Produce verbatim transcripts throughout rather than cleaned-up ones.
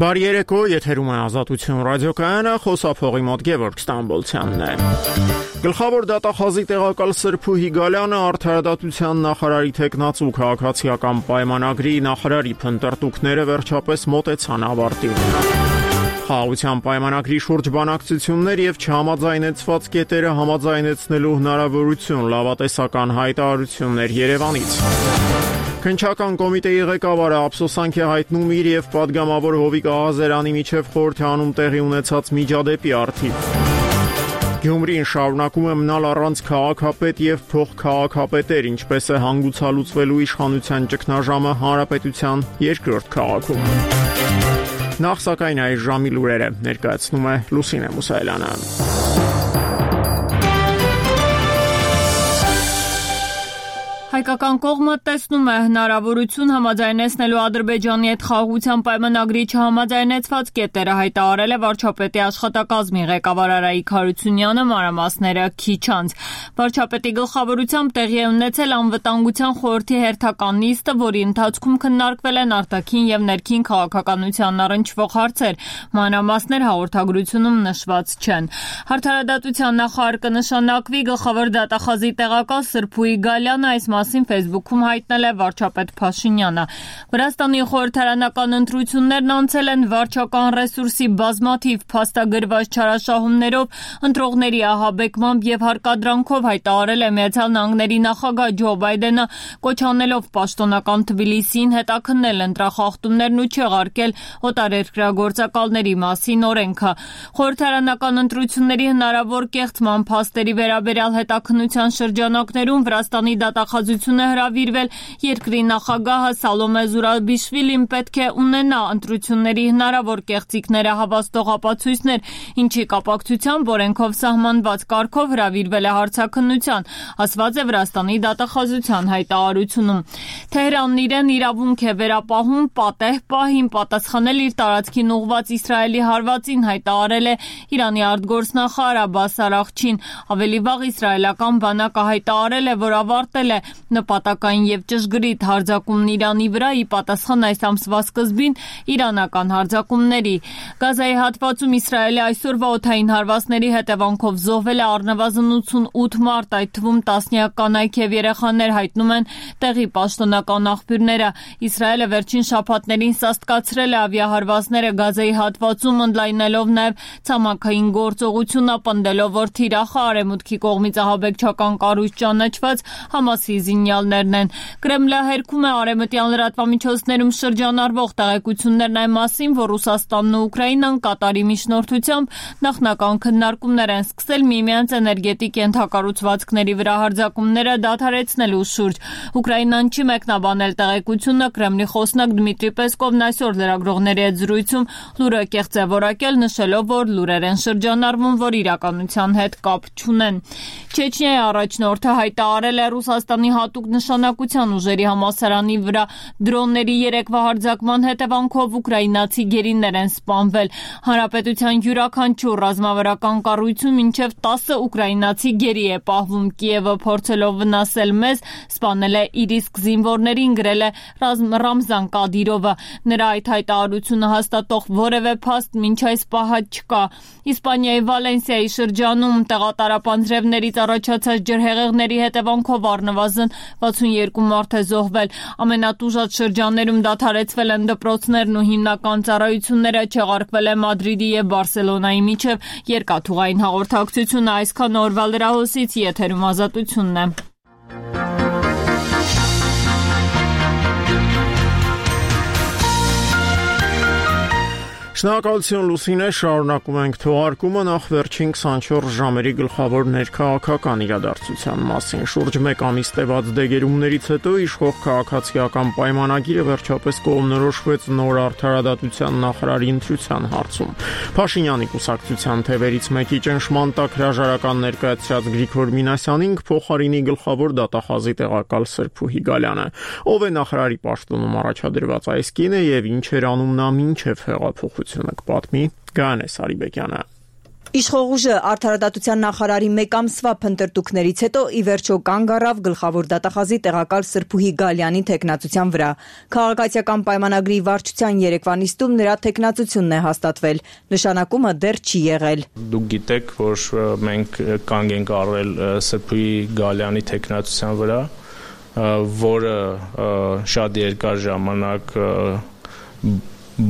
Բարի երեկո, եթերում է Ազատություն ռադիոկայանը, խոսափողի մոտ Գևորգ Ստամբոլցյանն է։ Գլխավոր դատախազի տեղակալ Սրփուհի Գալյանը արդարադատության նախարարի թեկնածու քաղաքացիական պայմանագրի նախարարի փնտրտուքները վերջապես մոտեցան ավարտին։ Խաղաղության պայմանագրի շուրջ բանակցություններ եւ չհամաձայնեցված կետերը համաձայնեցնելու հնարավորություն, լավատեսական հայտարարություններ Երևանից։ Քննչական կոմիտեի ղեկավարը ափսոսանք է հայտնում իր եւ պատգամավոր Հովիկ Աղազարյանի միջև խորհրդանում տեղի ունեցած միջադեպի առթիվ։ Գյումրին շարունակում է մնալ առանց քաղաքապետ եւ փոխքաղաքապետեր, ինչպես է հանգուցալուծվելու իշխանության ճգնաժամը հանրապետության երկրորդ քաղաքում։ Նախ սակայն այս ժամի լուրերը ներկայացնում է Լուսինե Մուսայելյանը։ Հայկական կողմը տեսնում է հնարավորություն համաձայնեցնելու Ադրբեջանի հետ խաղաղության պայմանագրի չհամաձայնեցված կետերը, հայտարարել է վարչապետի աշխատակազմի ղեկավար Արայիկ Հարությունյանը մանրամասները քիչ անց։ Վարչապետի գլխավորությամբ տեղի է ունեցել անվտանգության խորհրդի հերթական նիստը, որի ընթացքում քննարկվել են արտաքին եւ ներքին քաղաքականությանն առնչվող հարցեր։ Մանրամասներ հաղորդագրությունում նշված չեն։ Արդարադատության նախարար կնշանակվի գլխավոր դատախազի տեղակալ Սրփուհի Գալյանը այս մասին Facebook-ում հայտնել է վարչապետ Փաշինյանը։ Վրաստանի խորհրդարանական ընտրություններն անցել են վարչական ռեսուրսի բազմաթիվ փաստագրված չարաշահումներով, ընտրողների ահաբեկմամբ եւ հարկադրանքով, հայտարարել է Միացյալ Նահանգների նախագահ Ջո Բայդենը, կոչ անելով պաշտոնական Թբիլիսիին հետաքննել ընտրախախտումներն ու չեղարկել օտարերկրագործակալների մասին օրենքը։ Խորհրդարանական ընտրությունների հնարավոր կեղծման փաստերի վերաբերյալ հետաքննության շրջանակներում Վրաստանի դատախազությունը հրավիրվել երկրի նախագահը Սալոմե Զուրաբիշվիլին պետք է ունենա ընտրությունների հնարավոր կեղծիքները հավաստող ապացույցներ, ինչի կապակցությամբ օրենքով սահմանված կարգով հրավիրվել է հարցաքննության, ասված է Վրաստանի դատախազության հայտարարությունում։ Թեհրանն իրեն իրավունք է վերապահում պատեհ պահին պատասխանել իր տարածքին ուղղված Իսրայելի հարվածին, հայտարարել է Իրանի արտգործնախարար Աբբաս Արաղչին։ Ավելի վաղ իսրայելական բանակը հայտարարել է, որ ավարտել է նպատակային եւ ճշգրիտ հարձակումն Իրանի վրա ի պատասխան այս ամսվա սկզբին իրանական հարձակումների։ Գազայի հատվածում Իսրայելի այսօրվա օդային հարվածների հետևանքով զոհվել է առնվազն ութսունութ մարդ, այդ թվում տասնյակ կանայք եւ երեխաներ, հայտնում են տեղի պաշտոնական աղբյուրները։ Իսրայելը վերջին շաբաթներին սաստկացրել է ավիահարվածները Գազայի հատվածում, ընդլայնելով նաեւ ցամաքային գործողությունը, պնդելով, որ թիրախը արևմուտքի կողմից ահաբեկչական կառույց ճանաչված Համասի զինյալներն են։ Կրեմլը հերքում է արևմտյան լրատվամիջոցներում շրջանառվող տեղեկություններն այն մասին, որ Ռուսաստանն ու Ուկրաինան Կատարի միջնորդությամբ նախնական քննարկումներ են սկսել միմյանց էներգետիկ ենթակառուցվածքների վրա հարձակումները դադարեցնելու շուրջ։ Ուկրաինան չի մեկնաբանել տեղեկությունը, Կրեմլի խոսնակ Դմիտրի Պեսկովն այսօր լրագրողների հետ զրույցում լուրը կեղծ է որակել, նշելով, որ լուրեր են շրջանառվում, որ իրականության հետ կապ չունեն։ Չեչնիայի առաջնորդը հայտարարել է Ռուսաստանի հատուկ նշանակության ուժերի համալսարանի վրա դրոնների երեկվա հարձակման հետևանքով ուկրաինացի գերիներ են սպանվել։ Հանրապետության յուրաքանչյուր ռազմավարական կառույցում մինչև տասը ուկրաինացի գերի է պահվում։ Կիևը փորձելով վնասել մեզ, սպանել է իր իսկ զինվորներին, գրել է Ռամզան Կադիրովը։ Նրա այդ հայտարարությունը հաստատող որևէ փաստ մինչ այս պահը չկա։ Իսպանիայի Վալենսիայի շրջանում տեղատարապանձրևներից առաջացած ջրհեղեղների հետևանքով առնվազն վաթսունյոթ մարդ է զոհվել։ Ամենատուժած շրջաններում դադարեցվել են դպրոցներն ու հիմնական ծառայությունները, չեղարկվել է Մադրիդի եւ Բարսելոնայի միջև երկաթուղային հաղորդակցությունը։ Այսքան օրվա լրահոսից, եթերում Ազատությունն է։ Շնորհակալություն Լուսինե, շարունակում ենք թողարկումը նախ վերջին քսանչորս ժամերի գլխավոր ներքաղաքական իրադարձության մասին։ Շուրջ մեկ ամիս տևած դեգերումներից հետո իշխող քաղաքացիական պայմանագիրը վերջապես կողմնորոշվեց նոր արդարադատության նախարարի ընտրության հարցում։ Փաշինյանի կուսակցության թևերից մեկի ճնշման տակ հրաժարական ներկայացրած Գրիգոր Մինասյանին փոխարինի գլխավոր դատախազի տեղակալ Սրփուհի Գալյանը։ Ով է նախարարի պաշտոնում առաջադրված այս կինը եւ ինչ էր անում նա մինչեւ հեղափոխությունը, կպատմի Գանե Սարիբեկյանը։ Իշխող ուժը արդարադատության նախարարի մեկ ամսվա փնտրտուքներից հետո ի վերջո կանգ առավ գլխավոր դատախազի տեղակալ Սրփուհի Գալյանի թեկնածության վրա։ Քաղաքացիական պայմանագրի վարչության երեկվա նիստում նրա թեկնածությունն է հաստատվել։ Նշանակումը դեռ չի եղել։ Դուք գիտեք, որ մենք կանգ ենք առել Սրփուհի Գալյանի թեկնածության վրա, որը շատ երկար ժամանակ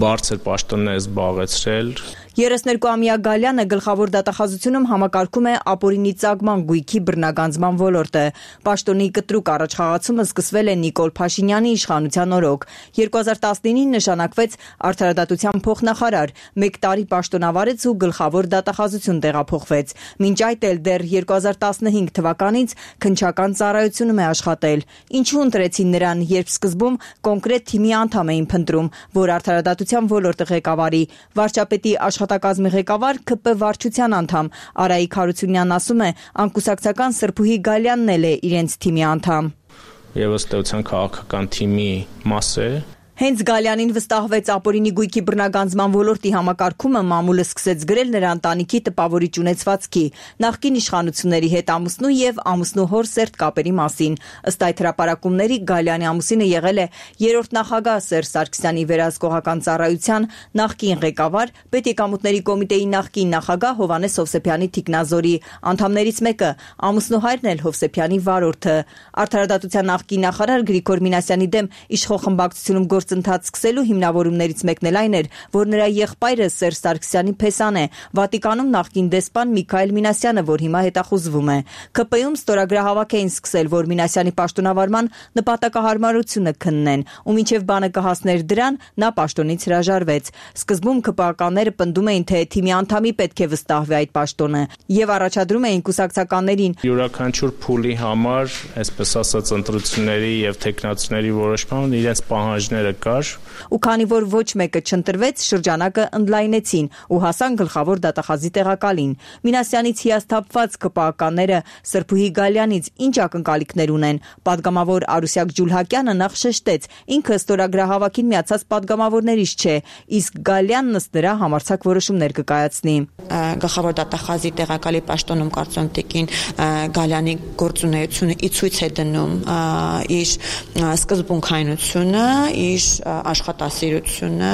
բարձր պաշտոններ է զբաղեցրել։ երեսներկուամյա Գալյանը գլխավոր դատախազությունում համակարգում է ապօրինի ծագման գույքի բռնագանձման ոլորտը։ Պաշտոնի կտրուկ առաջխաղացումը սկսվել է Նիկոլ Փաշինյանի իշխանության օրոք։ երկու հազար տասնինին նշանակվեց արդարադատության փոխնախարար, մեկ տարի պաշտոնավարեց ու գլխավոր դատախազություն տեղափոխվեց։ Մինչ այդ էլ դեռ երկու հազար տասնհինգ թվականից քննչական ծառայությունում է աշխատել։ Ինչու ընտրեցին նրան, երբ սկզբում կոնկրետ թիմի անդամ էին փնտրում, որ արդարադատության ոլորտը ղեկավարի։ Վարչապետի աշխատակազմի ղեկավար K P վարչության անդամ Արայիկ Հարությունյանն ասում է, անկուսակցական Սրփուհի Գալյանն էլ է իրենց թիմի անդամ։ Եվ ըստ էության քաղաքական թիմի մաս է։ Հենց Գալյանին վստահվեց ապօրինի գույքի բռնագանձման ոլորտի համակարգումը, մամուլը սկսեց գրել նրա ընտանիքի տպավորիչ ունեցվածքի, նախկին իշխանությունների հետ ամուսնու եւ ամուսնու հոր սերտ կապերի մասին։ Ըստ այդ հրապարակումների Գալյանի ամուսինը եղել է երրորդ նախագահ Սերժ Սարգսյանի վերահսկողական ծառայության նախկին ղեկավար, Պետեկամուտների կոմիտեի նախկին նախագահ Հովհաննես Հովսեփյանի թիկնազորի անդամներից մեկը, ամուսնու հայրն էլ Հովսեփյանի վարորդը։ Արդարադատության նախկին նախարար Գրիգոր Մինասյանի դեմ իշխող խմբակցությունում գործընթաց սկսելու հիմնավորումներից մեկն էլ այն էր, որ նրա եղբայրը Սերժ Սարգսյանի փեսան է, Վատիկանում նախկին դեսպան Միքայել Մինասյանը, որ հիմա հետախուզվում է։ K P-ում ստորագրահավաք էին սկսել, որ Մինասյանի պաշտոնավարման նպատակահարմարությունը քննեն, ու մինչև բանը կհասներ դրան, նա պաշտոնից հրաժարվեց։ Սկզբում K P-ականները պնդում էին, թե թիմի անդամի պետք է վստահվի այդ պաշտոնը, եւ առաջադրում էին կուսակցականներին յուրաքանչյուր փուլի համար, այսպես ասած, ընտրությունների եւ թեկնածուների որոշման իրենց պահանջները կար։ Ու քանի որ ոչ մեկը չընտրվեց, շրջանակը ընդլայնեցին ու հասան գլխավոր դատախազի տեղակալին։ Մինասյանից հիասթափված K P-ականները Սրփուհի Գալյանից ինչ ակնկալիքներ ունեն։ Պատգամավոր Արուսյակ Ջուլհակյանը նախ շեշտեց, ինքը ստորագրահավաքին միացած պատգամավորներից չէ, իսկ Գալյանն ըստ նրա համարձակ որոշումներ կկայացնի։ Գլխավոր դատախազի տեղակալի պաշտոնում կարծում տիկին Գալյանի գործունեությունը ի ցույց է դնում իր սկզբունքայնությունը, իր աշխատասիրությունը։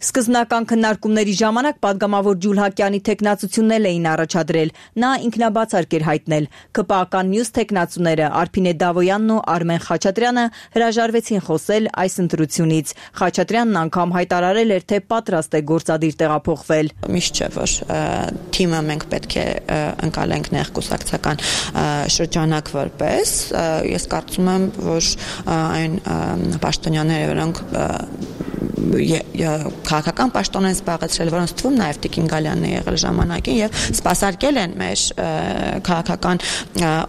Սկզբնական քննարկումների ժամանակ պատգամավոր Ջուլհակյանի թեկնածությունն էին առաջադրել։ Նա ինքնաբացարկ էր հայտնել։ K P-ական մյուս թեկնածուները Արփինե Դավոյանն ու Արմեն Խաչատրյանը հրաժարվեցին խոսել այս ընտրությունից։ Խաչատրյանն անգամ հայտարարել էր, թե պատրաստ է գործադիր տեղափոխվել։ Միշտ չէ, որ թիմը մենք պետք է ընկալենք ներկուսակցական շրջանակ որպես։ Ես կարծում եմ, որ այն պաշտոնյաները, որոնք քաղաքական պաշտոն են զբաղեցրել, որոնց թվում նաև Տիկին Գալյանն է եղել ժամանակին եւ սպասարկել են մեր քաղաքական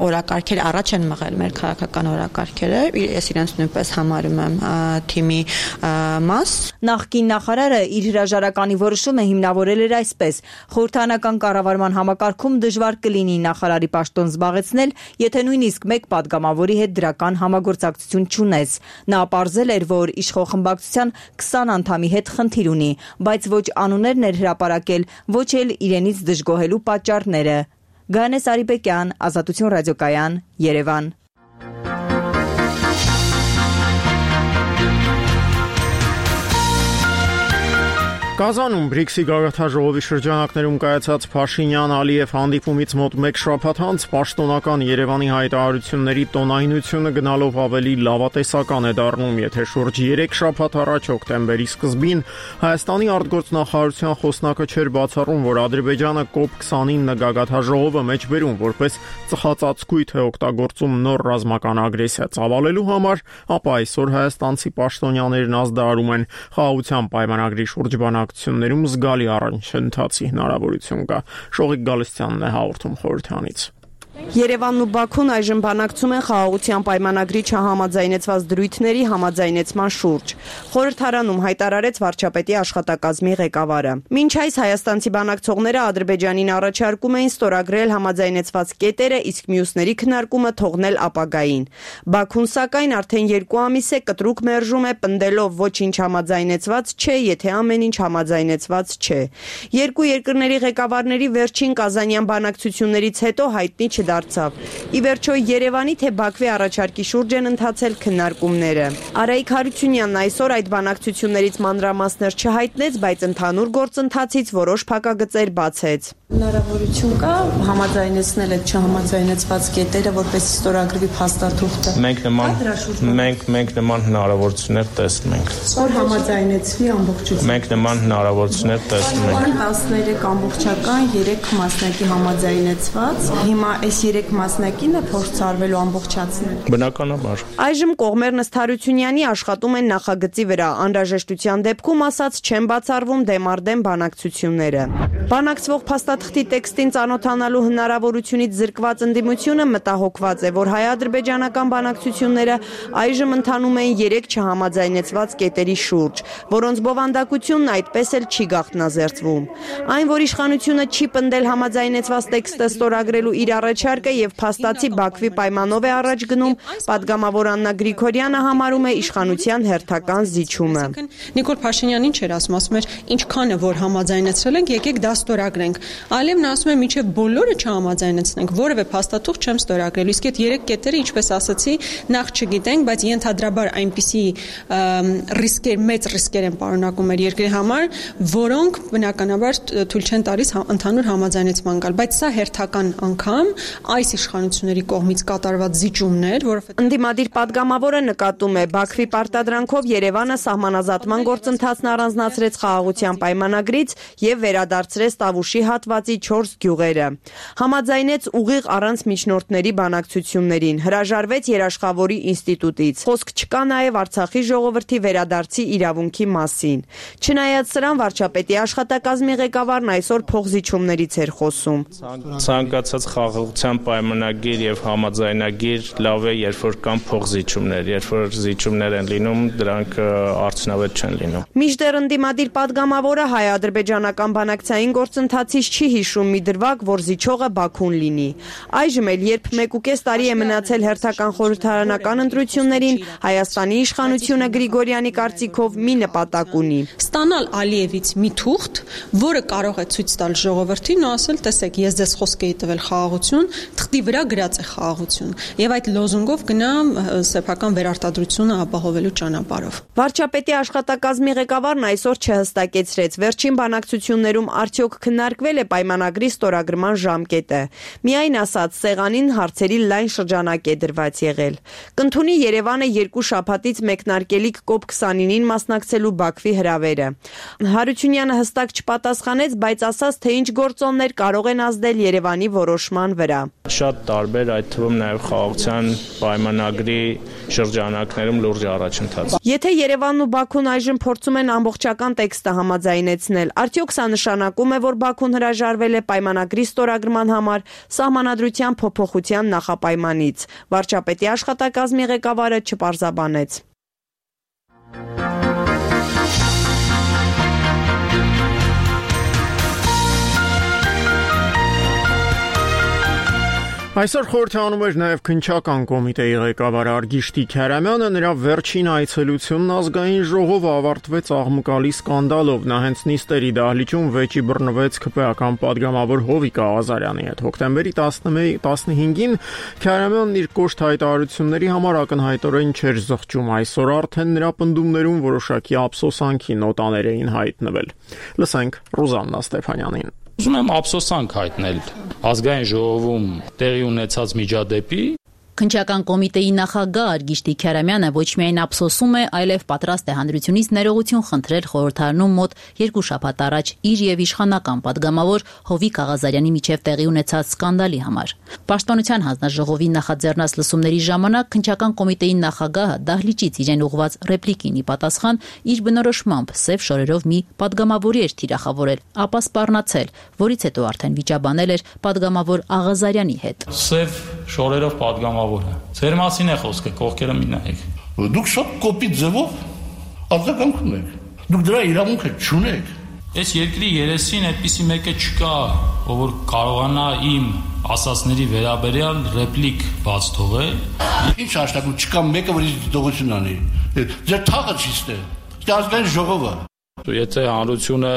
օրակարգերը, առաջ են մղել մեր քաղաքական օրակարգերը։ Ես իրենց նույնպես համարում եմ թիմի մաս։ Նախկին նախարարը իր հրաժարականի որոշումը հիմնավորել էր այսպես. խորհրդարանական կառավարման համակարգում դժվար կլինի նախարարի պաշտոն զբաղեցնել, եթե նույնիսկ մեկ պատգամավորի հետ դրական համագործակցություն չունես։ Նա պարզել էր, որ իշխող խմբակցության քսան անդամի հետ խնդիր ունի, բայց ոչ անուններն էր հրապարակել, ոչ էլ իրենից դժգոհելու պատճառները։ Գայանե Սարիբեկյան, Ազատություն ռադիոկայան, Երևան։ Կազանում բրիքսի գագաթաժողովի շրջանակներում կայացած Փաշինյան-Ալիև հանդիպումից մոտ մեկ շաբաթ անց պաշտոնական Երևանի հայտարարությունների տոնայնությունը գնալով ավելի լավատեսական է դառնում, եթե շուրջ երեք շաբաթ առաջ հոկտեմբերի սկզբին Հայաստանի արտգործնախարարության խոսնակը չէր բացառում, որ Ադրբեջանը կոպ քսանինը գագաթաժողովը մեջբերում որպես ծխածածկույթ է օգտագործում նոր ռազմական ագրեսիա ծավալելու համար, ապա այսօր հայաստանցի պաշտոնյաներն ազդարարում են խաղաղության պայմանագրի շուրջ զգալի առաջընթացի հնարավորություն կա։ Շողիկ Գալստյանն է հաղորդում խորհրդանից։ Երևանն ու Բաքուն այժմ բանակցում են խաղաղության պայմանագրի չհամաձայնեցված դրույթների համաձայնեցման շուրջ։ Խորհրդարանում հայտարարեց վարչապետի աշխատակազմի ղեկավարը։ Մինչ այս հայաստանցի բանակցողները Ադրբեջանին առաջարկում էին ստորագրել համաձայնեցված կետերը, իսկ մյուսների քննարկումը թողնել ապագային։ Բաքուն սակայն արդեն երկու ամիս է կտրուկ մերժում է, պնդելով ոչինչ համաձայնեցված չէ, եթե ամեն ինչ համաձայնեցված չէ։ Երկու երկրների ղեկավարների վերջին կազանյան բանակցություններից հետո հայտնի չդարձավ։ Ի վերջո Երևանի թե Բաքվի առաջարկի շուրջ են ընթացել քննարկումները։ Արայիկ Հարությունյանն այսօր այդ բանակցություններից մանրամասներ չհայտնեց, բայց ընդհանուր գործընթացից որոշ փակագծեր բացեց։ Հնարավորություն կա համաձայնեցնել այդ չհամաձայնեցված կետերը, որպես ստորագրվի փաստաթուղթը։ Մենք նման մենք մենք նման հնարավորություններ տեսնում ենք։ Որ համաձայնեցվի ամբողջությամբ։ Մենք նման հնարավորություններ տեսնում ենք։ տասներեք ամբողջական, երեք մասնակի համաձայնեցված։ Հիմա այս երեք մասնակինը փորձարվելու ամբողջացնել։ Բնականաբար։ Այժմ կողմերն ըստ Հարությունյանի աշխատում են նախագծի վրա, անհրաժեշտության դեպքում ասած չեն բացառվում դեմարդեմ բանակցությունները։ Բանակցվող փաստաթղթի տեքստին ծանոթանալու հնարավորությունից զրկված ընդդիմությունը մտահոգված է, որ հայ-ադրբեջանական բանակցությունները այժմ ընթանում են երեք չհամաձայնեցված կետերի շուրջ, որոնց բովանդակությունն այդպես էլ չի գաղտնազերծվում։ Այն, որ իշխանությունը չի պնդել համաձայնեցված տեքստը ստորագրելու իր առաջարկը եւ փաստացի Բաքվի պայմանով է առաջ գնում, պատգամավոր Աննա Գրիգորյանը համարում է իշխանության հերթական զիջումը։ Նիկոլ Փաշինյանն ինչ էր ասում, ասում էր, ինչքան է որ համաձայնեցրել ենք, եկեք դա ստորագրենք։ Այլևն ասում է, միջև բոլորը չհամաձայնեցնենք, որևէ փաստաթուղթ չեմ ստորագրելու։ Իսկ այդ երեք կետերը, ինչպես ասացի, նախ չգիտենք, բայց ենթադրաբար այնպիսի ռիսկեր, մեծ ռիսկեր են պարունակում մեր երկրի համար, որոնք բնականաբար թույլ չեն տալիս ընդհանուր համաձայնեցման գալ, բայց սա հերթական անգամ այս իշխանությունների կողմից կատարված զիջումներ, որովհետեւ ընդդիմադիր պատգամավորը նկատում է Բաքվի պարտադրանքով Երևանը սահմանազատման գործընթացն առանձնացրեց խաղաղության պայմանագրից եւ վերադարձրեց Տավուշի հատվածի չորս գյուղերը։ Համաձայնեց ուղիղ առանց միջնորդների բանակցություններին, հրաժարվեց երաշխավորի ինստիտուտից։ Խոսք չկա նաեւ Արցախի ժողովրդի վերադարձի իրավունքի մասին։ Չնայած սրան վարչապետի աշխատակազմի ղեկավարն այսօր փոխզիջումներից էր խոսում։ Ցանկացած խաղաղության պայմանագիր եւ համաձայնագիր լավ է, երբ որ կան փոխզիջումներ, երբ որ զիջումներ են լինում, դրանք արդյունավետ չեն լինում։ Մինչդեռ ընդդիմադիր պատգամավորը հայ-ադրբեջանական բանակցային գործընթացից չի հիշում մի դրվագ, որ զիջողը Բաքուն լինի։ Այժմ էլ, երբ մեկուկես տարի է մնացել հերթական խորհրդարանական ընտրություններին, Հայաստանի իշխանությունը Գրիգորյանի կարծիքով մի նպատակ ունի. ստանալ Ալիևից մի թուղթ, որը կարող է ցույց տալ ժողովրդին ու ասել, տեսեք, ես ձեզ խոսք էի տվել խաղաղություն, թղթի վրա գրած է խաղաղություն, եւ այդ լոզունգով գնա սեփական վերարտադրությունը ապահովելու ճանապարհով։ Վարչապետի աշխատակազմի ղեկավարն այսօր չհստակեցրեց վերջին բանակցություններում արդյոք քննարկվել է պայմանագրի ստորագրման ժամկետը։ Միայն ասաց, սեղանին հարցերի լայն շրջանակ է դրված եղել։ Կընդունի Երևանը երկու շաբաթից մեկնարկելիք կոպ քսանինին մասնակցելու Բաքվի հրավերը։ Հարությունյանը հստակ չպատասխանեց, բայց ասաց, թե ինչ գործոններ կարող են ազդել Երևանի որոշման վրա։ Շատ տարբեր, այդ թվում նաև խաղաղության պայմանագրի շրջանակներում լուրջ առաջընթաց։ Եթե Երևանն ու Բաքուն այժմ փորձում են ամբողջական տեքստը համաձայնեցնել, արդյոք սա նշանակում է, որ Բաքուն հրաժարվել է պայմանագրի ստորագրման համար սահմանադրության փոփոխության նախապայմանից։ Վարչապետի աշխատակազմի ղեկավարը չպարզաբանեց։ Այսօր խորհրդանում էր նաև քննչական կոմիտեի ղեկավար Արգիշտի Քարամյանը, նրա վերջին այցելությունն ազգային ժողովը ավարտվեց աղմկալի սկանդալով։ Նա հենց նիստերի դահլիճում վեճի բռնվեց ՔՊ-ական պատգամավոր Հովիկ Աղազարյանի հետ։ Հոկտեմբերի տասնհինգին Քարամյանն իր կոշտ հայտարարությունների համար ակնհայտորեն չէր զղջում։ Այսօր արդեն նրա պնդումներում որոշակի ափսոսանքի նոտաներ էին հայտնվել։ Լսենք Ռուզաննա Ստեփանյանին։ Ուզում եմ ափսոսանք հայտնել ազգային ժողովում տեղի ունեցած միջադեպի Քննչական կոմիտեի նախագահ Արգիշտի Քյարամյանը ոչ միայն ափսոսում է, այլև պատրաստ է հանրությունից ներողություն խնդրել խորհրդարանում մոտ երկու շաբաթ առաջ իր եւ իշխանական падգամավոր Հովիկ Աղազարյանի միջև տեղի ունեցած սկանդալի համար։ Պաշտպանության հանձնաժողովի նախաձեռնած լսումների ժամանակ քննչական կոմիտեի նախագահը դահլիճից իրեն ուղված ռեպլիկին ի պատասխան իր բնորոշմամբ սև շորերով մի падգամավորի էր թիրախավորել, ապա սպառնացել, որից հետո արդեն վիճաբանել էր падգամավոր Աղազարյանի հետ։ Սև շորերով падգամավորը։ Ձեր մասին է խոսքը, կողքերը մի նայեք։ Դուք շատ կոպիտ ձևով արձագանքում եք։ Դուք դրա իրավունքը չունեք։ Այս երկրի երեսին այդպիսի մեկը չկա, ով որ կարողանա իմ ասածների վերաբերյալ ռեպլիկ բաց թողել։ Ինչ հաշտակում չկա մեկը, որ ինձ դողություն անի։ Ձեր թաղը չի ստե։ Դա ազգային ժողովը։ Եթե հանրությունը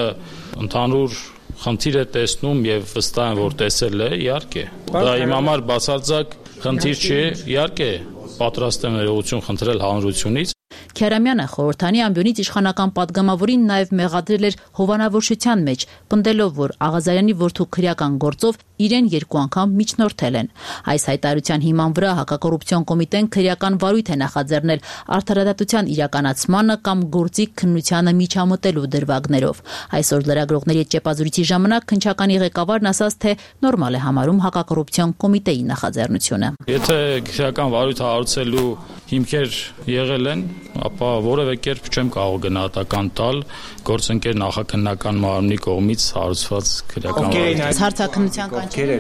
ընդհանուր խնդիր է տեսնում եւ վստահ եմ, որ տեսել է, իհարկե։ Դա իմ համար բացարձակ խնդիր չի, իհարկե, պատրաստ եմ ներողություն խնդրել հանրությունից։ Քյարամյանը խորհրդանի ամբյոնից իշխանական падգամավորին նաև մեղադրել էր հովանավորչության մեջ, պնդելով, որ Աղազարյանի որդու քրեական գործով իրեն երկու անգամ միջնորդել են։ Այս հայտարարության հիման վրա հակակոռուպցիոն կոմիտեն քրեական վարույթ է նախաձեռնել արդարադատության իրականացմանը կամ գործի քննությանը միջամտելու դրվագներով։ Այսօր լրագրողների հետ ճեպազրույցի ժամանակ քննչականի ղեկավարն ասաց, թե նորմալ է համարում հակակոռուպցիոն կոմիտեի նախաձեռնությունը։ Եթե քրեական վարույթ հարուցելու հիմքեր եղել են, ապա որևէ կերպ չեմ կարող գնահատական տալ գործընկեր նախաքննական մարմնի կողմից հարուցված քրեական վարույթ։ Հարցաքննության կանչել։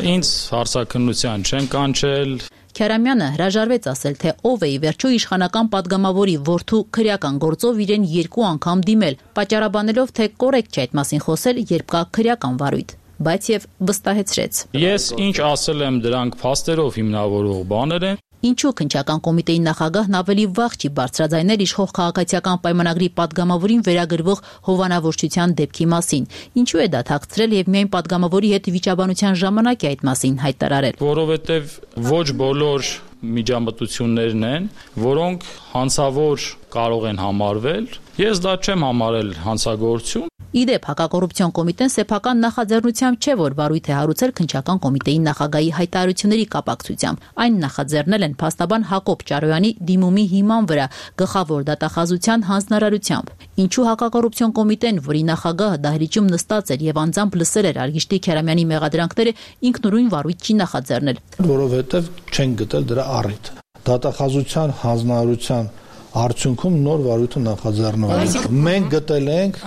Ինձ հարցաքննության չեն կանչել։ Քյարամյանը հրաժարվեց ասել, թե ով է ի վերջո իշխանական падգամավորի որդու քրեական գործով իրեն երկու անգամ դիմել, պատճառաբանելով, թե կոռեկտ չէ այդ մասին խոսել, երբ կա քրեական վարույթ, բայց եւ վստահեցրեց։ Ես ինչ ասել եմ, դրանք փաստերով հիմնավորող բաներ են։ Ինչու քննչական կոմիտեի նախագահն ավելի վաղ չի բարձրաձայնել իշխող քաղաքացիական պայմանագրի падգամավորին վերագրվող հովանավորչության դեպքի մասին։ Ինչու է դա թաքցրել եւ միայն падգամավորի հետ վիճաբանության ժամանակ է այդ մասին հայտարարել։ Որովհետեւ ոչ բոլոր միջամտություններն են, որոնք հանցավոր կարող են համարվել։ Ես դա չեմ համարել հանցագործություն։ Իդեպ հակակոռուպցիոն կոմիտեն սեփական նախաձեռնությամբ չէ, որ վարույթ է հարուցել քննչական կոմիտեի նախագահի հայտարարությունների կապակցությամբ։ Այն նախաձեռնել են փաստաբան Հակոբ Ճարոյանի դիմումի հիման վրա գլխավոր դատախազության հանձնարարությամբ։ Ինչու հակակոռուպցիոն կոմիտեն, որի նախագահը դահլիճում նստած էր եւ անձամբ լսել էր Արգիշտի Քյարամյանի մեղադրանքները, ինքնուրույն վարույթ չի նախաձեռնել։ Որովհետեւ չեն գտել դրա առիթ։ Դատախազության հանձնարարության արդյունքում նոր վարույթը նախաձեռնվել է։ Մենք գտել ենք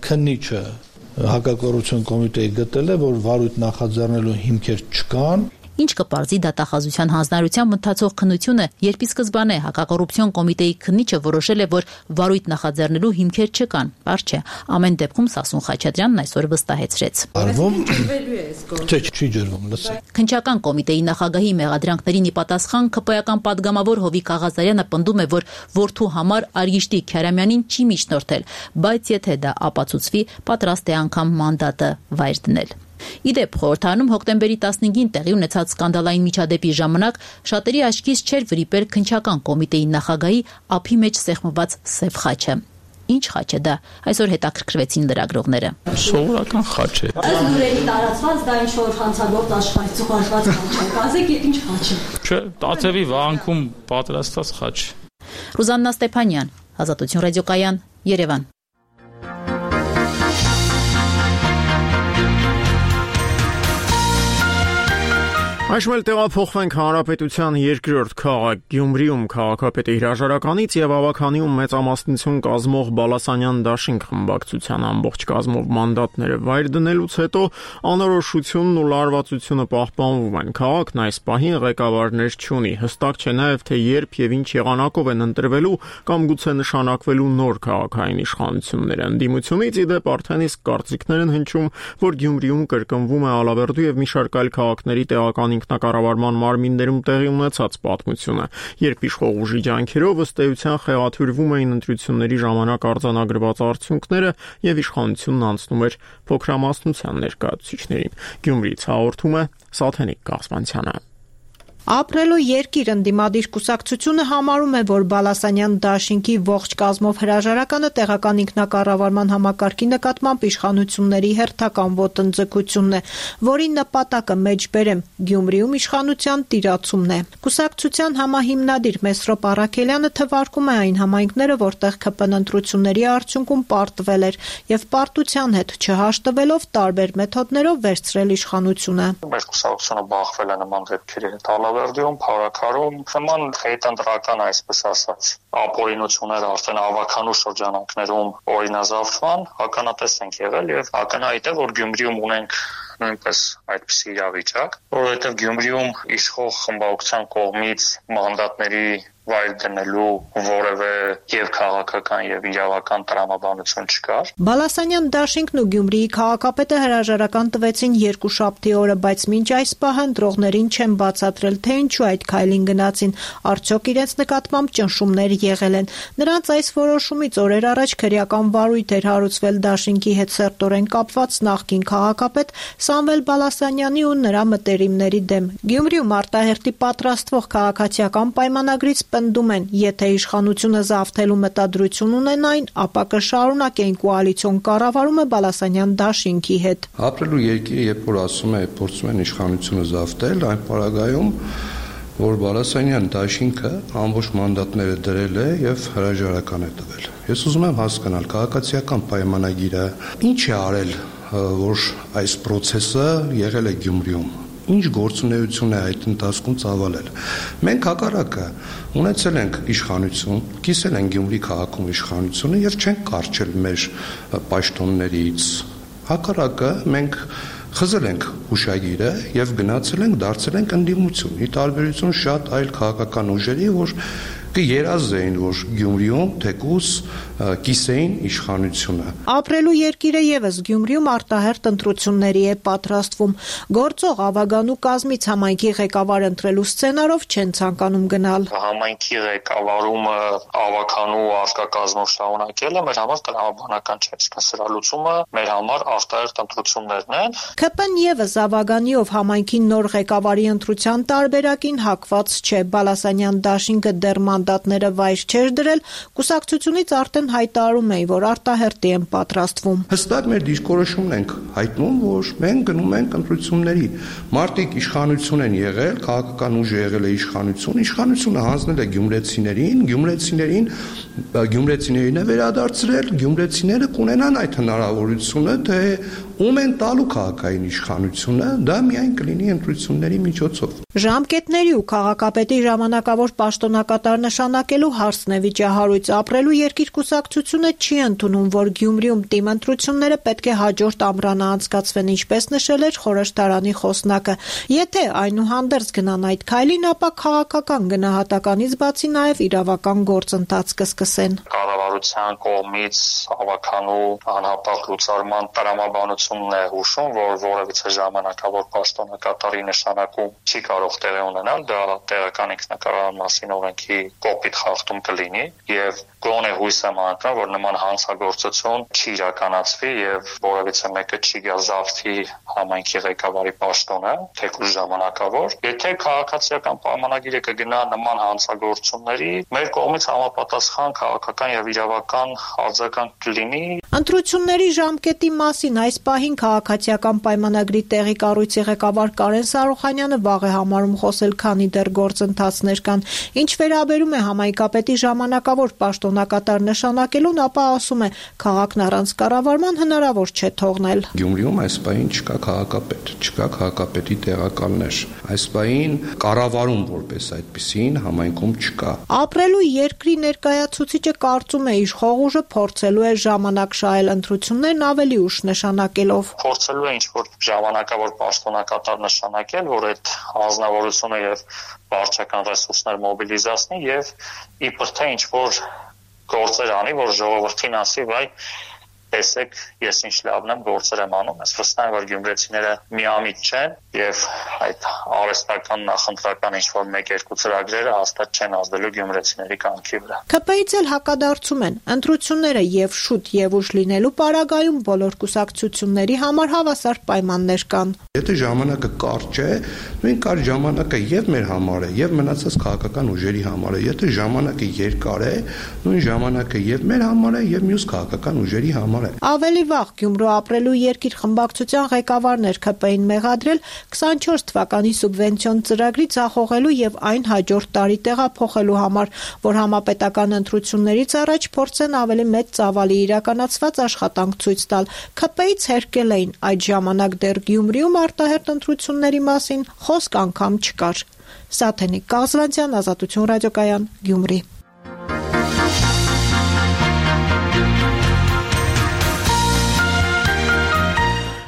քննիչը հակակոռուպցիոն կոմիտեի գտել է, որ վարույթ նախաձեռնելու հիմքեր չկան։ Ինչ կպարզի դատախազության հանձնարարությամբ ընթացող քննությունը, երբ ի սկզբանե հակակոռուպցիոն կոմիտեի քննիչը որոշել է, որ վարույթ նախաձեռնելու հիմքեր չկան։ Պարզ չէ, ամեն դեպքում Սասուն Խաչատրյանն այսօր վստահեցրեց։ Արվում չէ, չի ջրվում, լսեք։ Քննչական կոմիտեի նախագահի մեղադրանքներին ի պատասխան ԿՊ-ական падգամավոր Հովիկ Աղազարյանը պնդում է, որ որդու համար Արգիշտի Քյարամյանին չի միջնորդել, բայց եթե դա ապացուցվի, պատրաստ է անգամ մանդատը վայր դնել։ Իդեպ խորհրդարանում հոկտեմբերի տասնհինգին տեղի ունեցած սկանդալային միջադեպի ժամանակ շատերի աչքից չէր վրիպել քննչական կոմիտեի նախագահի ափի մեջ սեղմված սև խաչը։ Ինչ խաչ է դա, այսօր հետաքրքրվեցին լրագրողները։ Սովորական խաչ է։ Այս լուրերի տարածված դա ինչ որ հանցագործ աշխարհից ուղարկված խաչ է։ Կազեք ինչ խաչ է։ Չէ, Տաթևի վանքում պատրաստված խաչ։ Ռուզաննա Ստեփանյան, Ազատություն ռադիոկայան, Երևան։ Այժմ էլ տեղափոխվենք Հանրապետության երկրորդ քաղաք Գյումրիում քաղաքապետի հրաժարականից եւ ավականիում մեծամասնություն կազմող Բալասանյան դաշինք խմբակցության ամբողջ կազմով մանդատները վայր դնելուց հետո անորոշությունն ու լարվածությունը պահպանվում են։ Քաղաքն այս պահին ղեկավարներ չունի։ Հստակ չէ նաեւ թե երբ եւ ինչ եղանակով են ընտրվելու կամ գուցե նշանակվելու նոր քաղաքային իշխանությունները։ Ընդդիմությունից ի դեպ արդեն իսկ կարծիքներ են հնչում, որ Գյումրիում կրկնվում է Ալավերդու եւ մի շարք այլ քաղաքների տեղական ինքնակառավարման մարմիններում տեղի ունեցած պատմությունը, երբ իշխող ուժի ջանքերով ըստ էության խեղաթյուրվում էին ընտրությունների ժամանակ արձանագրված արդյունքները եւ իշխանությունն անցնում էր փոքրամասնության ներկայացուցիչներին։ Գյումրիից հաղորդում է Սաթենիկ Կասպանցյանը։ Ապրելու երկիր ընդդիմադիր կուսակցությունը համարում է, որ Բալասանյան դաշինքի ողջ կազմով հրաժարականը տեղական ինքնակառավարման համակարգի նկատմամբ իշխանությունների հերթական ոտնձգությունն է, որի նպատակը մեջբերեմ Գյումրիում իշխանության տիրացումն է։ Կուսակցության համահիմնադիր Մեսրոպ Առաքելյանը թվարկում է այն համայնքները, որտեղ ՔՊ ընտրությունների արդյունքում պարտվել էր եւ պարտության հետ չհաշտվելով տարբեր մեթոդներով վերցրել իշխանությունը։ Մեր կուսակցությունը բախվել է նման դեպքերի հետ Ալավերդիում, Փարաքարում, նման հետընտրական, այսպես ասած, ապօրինությունները արդեն ավականու շրջանակներում օրինազավթման ականատես ենք եղել եւ ակնհայտ է, որ Գյումրիում ունենք նույնպես այդպիսի իրավիճակ, որովհետեւ Գյումրիում իշխող խմբակցության կողմից մանդատների վայր դնելու որևէ եւ քաղաքական եւ իրավական տրամաբանություն չկար։ Բալասանյան դաշինքն ու Գյումրիի քաղաքապետը հրաժարական տվեցին երկուշաբթի օրը, բայց մինչ այս պահը ընտրողներին չեն բացատրել, թե ինչու այդ քայլին գնացին, արդյոք իրենց նկատմամբ ճնշումներ եղել են։ Նրանց այս որոշումից օրեր առաջ քրեական վարույթ էր հարուցվել դաշինքի հետ սերտորեն կապված նախկին քաղաքապետ Սամվել Բալասանյանի ու նրա մտերիմների դեմ։ Գյումրիում արտահերտի պատրաստվող քաղաքացիական պայմանագրից պնդում են, եթե իշխանությունը զավթելու մտադրություն ունենային, ապա կշարունակեն կոալիցիոն կառավարումը Բալասանյան դաշինքի հետ։ Ապրելու երկիրը, երբ որ ասում է, փորձում են իշխանությունը զավթել, այն պարագայում, որ Բալասանյան դաշինքը ամբողջ մանդատները դրել է եւ հրաժարական է տվել։ Ես ուզում եմ հասկանալ քաղաքացիական պայմանագիրը ինչ է արել, որ այս process-ը եղել է Գյումրիում։ Ինչ գործունեություն է այդ ընթացքում ծավալել։ Մենք հակառակը ունեցել ենք իշխանություն, կիսել ենք Գյումրի քաղաքում իշխանությունը եւ չենք կարճել մեր պաշտոններից։ Հակառակը մենք խզել ենք հուշագիրը եւ գնացել ենք դարձել ենք ընդդիմություն։ Ի տարբերություն շատ այլ քաղաքական ուժերի, որ կերազեին, որ Գյումրիում թեկուզ կիսեին իշխանությունը։ Ապրելու երկիրը եւս Գյումրիում արտահերտ ընտրությունների է պատրաստվում։ Գործող ավագանու կազմից համայնքի ղեկավար ընտրելու սցենարով չեն ցանկանում գնալ։ Համայնքի ղեկավարումը ավականու արկակազմով շարունակելը մեր համար տրամաբանական չէ, իսկ սրա լուծումը մեր համար արտահերտ ընտրություններն են։ ՔՊ-ն եւս ավագանիով համայնքի նոր ղեկավարի ընտրության տարբերակին հակված չէ։ Բալասանյան դաշինքը դեռ մանդատները վայր չէր դրել, կուսակցությունից արդեն հայտարարում էին, որ արտահերտի են պատրաստվում։ Հստակ մեր դիրքորոշումն ենք հայտնում, որ մենք գնում ենք ընտրությունների։ Մարտիկ իշխանություն են եղել, քաղաքական ուժ եղել է իշխանություն, իշխանությունը հանձնել է գյումրեցիներին, գյումրեցիներին, գյումրեցիներին է վերադարձրել, գյումրեցիները կունենան այդ հնարավորությունը, թե ում են տալու քաղաքային իշխանությունը, դա միայն կլինի ընտրությունների միջոցով։ Ժամկետների ու քաղաքապետի ժամանակավոր պաշտոնակատար նշանակելու հարցն է վիճահարույց։ Ապրելու երկիր կուսակցությունը չի ընդունում, որ Գյումրիում տիմ ընտրությունները պետք է հաջորդ ամռանը անցկացվեն, ինչպես նշել էր խորհրդարանի խոսնակը։ Եթե այնուհանդերձ գնան այդ քայլին, ապա քաղաքական գնահատականից բացի նաև իրավական գործընթաց կսկսեն։ Կառավարության կողմից ավականու անհապաղ լուծարման տրամաբանությունն է հուշում, որ որևիցե ժամանակավոր պաշտոնակատարի նշանակում չի կարող տեղի ունենալ, դա տեղական ինքնակառավարման մասին օրենքի կոպիտ խախտում կլինի եւ գոնե հույս եմ անկրում, որ նման հանցագործություն չի իրականացվի եւ որևիցե մեկը չի գա զավթի համայնքի ղեկավարի պաշտոնը, թեկուզ ժամանակավոր։ Եթե քաղաքացիական պայմանագիրը կգնա նման հանցագործությունների, մեր կողմից համապատասխան քաղաքական եւ իրավական արձագանք կլինի։ Ընտրությունների ժամկետի մասին այս պահին քաղաքացիական պայմանագրի տեղի կառույցի ղեկավար Կարեն Սարոխանյանը վաղ է համարում խոսել, քանի դեռ գործընթացներ կան։ Ինչ վերաբերում է համայնքապետի ժամանակավոր պաշտոնակատար նշանակելուն, ապա ասում է, քաղաքն առանց կառավարման հնարավոր չէ թողնել։ Գյումրիում այս պահին չկա քաղաքապետ, չկա քաղաքապետի տեղակալներ։ Այս պահին կառավարում որպես այդպիսին համայնքում չկա։ Ապրելու երկրի ներկայացուցիչը կարծում է, իշխող ուժը փորձելու է ժամանակ շահել ընտրություններն ավելի ուշ նշանակելով։ Փորձելու է ինչ-որ ժամանակավոր պաշտոնակատար նշանակել, որ այդ անձնավորությունը եւ վարչական ռեսուրսներ մոբիլիզացնի եւ իբր թե ինչ-որ գործեր անի, որ ժողովրդին ասի, վայ տեսեք ես ինչ լավն եմ գործեր եմ անում, ես վստահ եմ, որ գյումրեցիները միամիտ չեն եւ այդ արհեստական նախընտրական ինչ-որ մեկ-երկու ծրագրերը հաստատ չեն ազդելու գյումրեցիների կյանքի վրա։ ՔՊԻ-ից էլ հակադարձում են, ընտրությունները եւ շուտ եւ ուշ լինելու պարագայում բոլոր կուսակցությունների համար հավասար պայմաններ կան։ Եթե ժամանակը կարճ է, նույն կարճ ժամանակը եւ մեր համար է, եւ մնացած քաղաքական ուժերի համար է։ Եթե ժամանակը երկար է, նույն ժամանակը եւ մեր համար է, եւ մյուս քաղաքական ուժերի համար է։ Ավելի վաղ Գյումրու ապրելու երկիր խմբակցության ղեկավարն էր ՔՊԻ-ին մեղադրել քսանչորս թվականի սուբվենցիոն ծրագրի ձախողելու եւ այն հաջորդ տարի տեղափոխելու համար, որ համապետական ընտրություններից առաջ փորձեն ավելի մեծ ծավալի իրականացված աշխատանք ցույց տալ։ ՔՊԻ-ից հերկել էին այդ ժամանակ դեռ Գյումրիում արտահերտ ընտրությունների մասին խոսք անգամ չկար։ Սաթենիկ Կազլանցյան, Ազատություն ռադիոկայան, Գյումրի։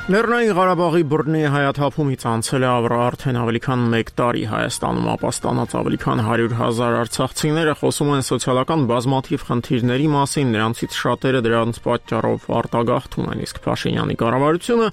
Լեռնային Ղարաբաղի բռնի հայաթափումից անցել է արդեն ավելի քան մեկ տարի Հայաստանում ապաստանած ավելի քան հարյուր հազար արցախցիները խոսում են սոցիալական բազմաթիվ խնդիրների մասին, նրանցից շատերը դրանց պատճառով արտագաղթում են, իսկ Փաշինյանի կառավարությունը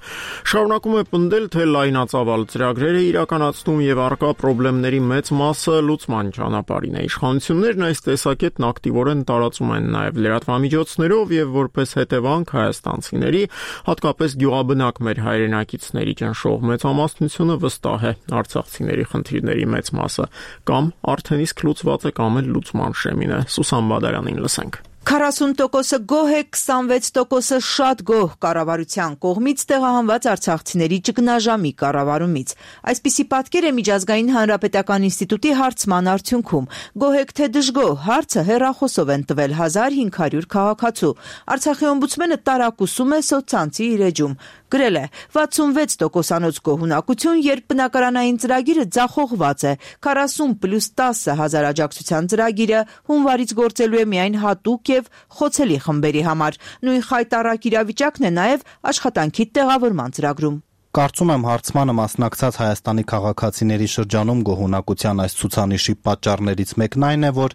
շարունակում է պնդել, թե լայնածավալ ծրագրեր է իրականացնում եւ առկա խնդիրների մեծ մասը լուծման ճանապարհին է։ Իշխանություններն այս տեսակետն ակտիվորեն տարածում են նաեւ լրատվամիջոցներով եւ որպես հետևանք հայաստանցիների, հատկապես գյուղաբնակ մեր հայրենակիցների ճնշող մեծամասնությունը վստահ է արցախցիների խնդիրների մեծ մասը կամ արդեն իսկ լուծված է կամ էլ լուծման շեմին է։ Սուսան Բադարյանին լսենք։ քառասուն տոկոսը գոհ է, քսանվեց տոկոսը շատ գոհ կառավարության կողմից տեղահանված արցախցիների ճգնաժամի կառավարումից։ Այսպիսի պատկեր է Միջազգային հանրապետական ինստիտուտի հարցման արդյունքում։ Գոհ եք թե դժգոհ, հարցը հեռախոսով են տվել հազար հինգ հարյուր քաղաքացու։ Արցախի օմբուդսմենը տարակուսում է սոցցանցի իր էջում։ Գրել է վաթսունվեց տոկոսանոց գոհունակություն, երբ բնակարանային ծրագիրը ձախողված է։ քառասուն պլյուս տասը հազար աջակցության ծրագիրը հունվարից գործելու է միայն հատուկ եւ խոցելի խմբերի համար։ Նույն խայտառակ իրավիճակն է նաեւ աշխատանքի տեղավորման ծրագրում։ Կարծում եմ հարցմանը մասնակցած Հայաստանի քաղաքացիների շրջանում գոհունակության այս ցուցանիշի պատճառներից մեկն այն է, որ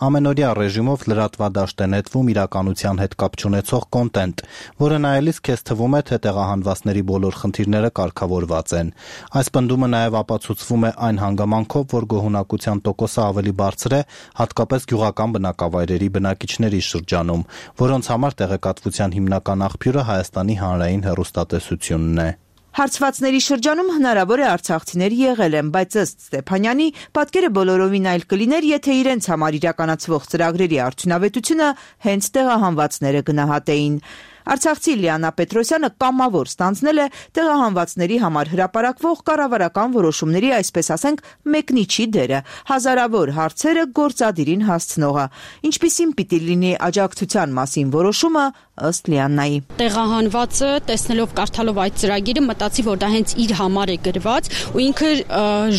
ամենօրյա ռեժիմով լրատվադաշտ է նետվում իրականության հետ կապ չունեցող կոնտենտ, որը նայելիս քեզ թվում է, թե տեղահանվածների բոլոր խնդիրները կարգավորված են։ Այս պնդումը նաև ապացուցվում է այն հանգամանքով, որ գոհունակության տոկոսը ավելի բարձր է, հատկապես գյուղական բնակավայրերի բնակիչների շրջանում, որոնց համար տեղեկատվության հիմնական աղբյուրը Հայաստանի հանրային հեռուստատեսությունն է։ Հարցվածների շրջանում հնարավոր է արցախցիներ եղել են, բայց ըստ Ստեփանյանի պատկերը բոլորովին այլ կլիներ, եթե իրենց համար իրականացվող ծրագրերի արդյունավետությունը հենց տեղահանվածները գնահատեին։ Արցախցի Լիանա Պետրոսյանը կամավոր ստանձնել է տեղահանվածների համար հրապարակվող կառավարական որոշումների, այսպես ասենք, մեկնիչի դերը, հազարավոր հարցերը գործադիրին հասցնողը։ Ինչպիսին պիտի լինի աջակցության մասին որոշումը, ըստ Լիաննայի։ Տեղահանվածը տեսնելով կարդալով այդ ծրագիրը մտածի, որ դա հենց իր համար է գրված ու ինքը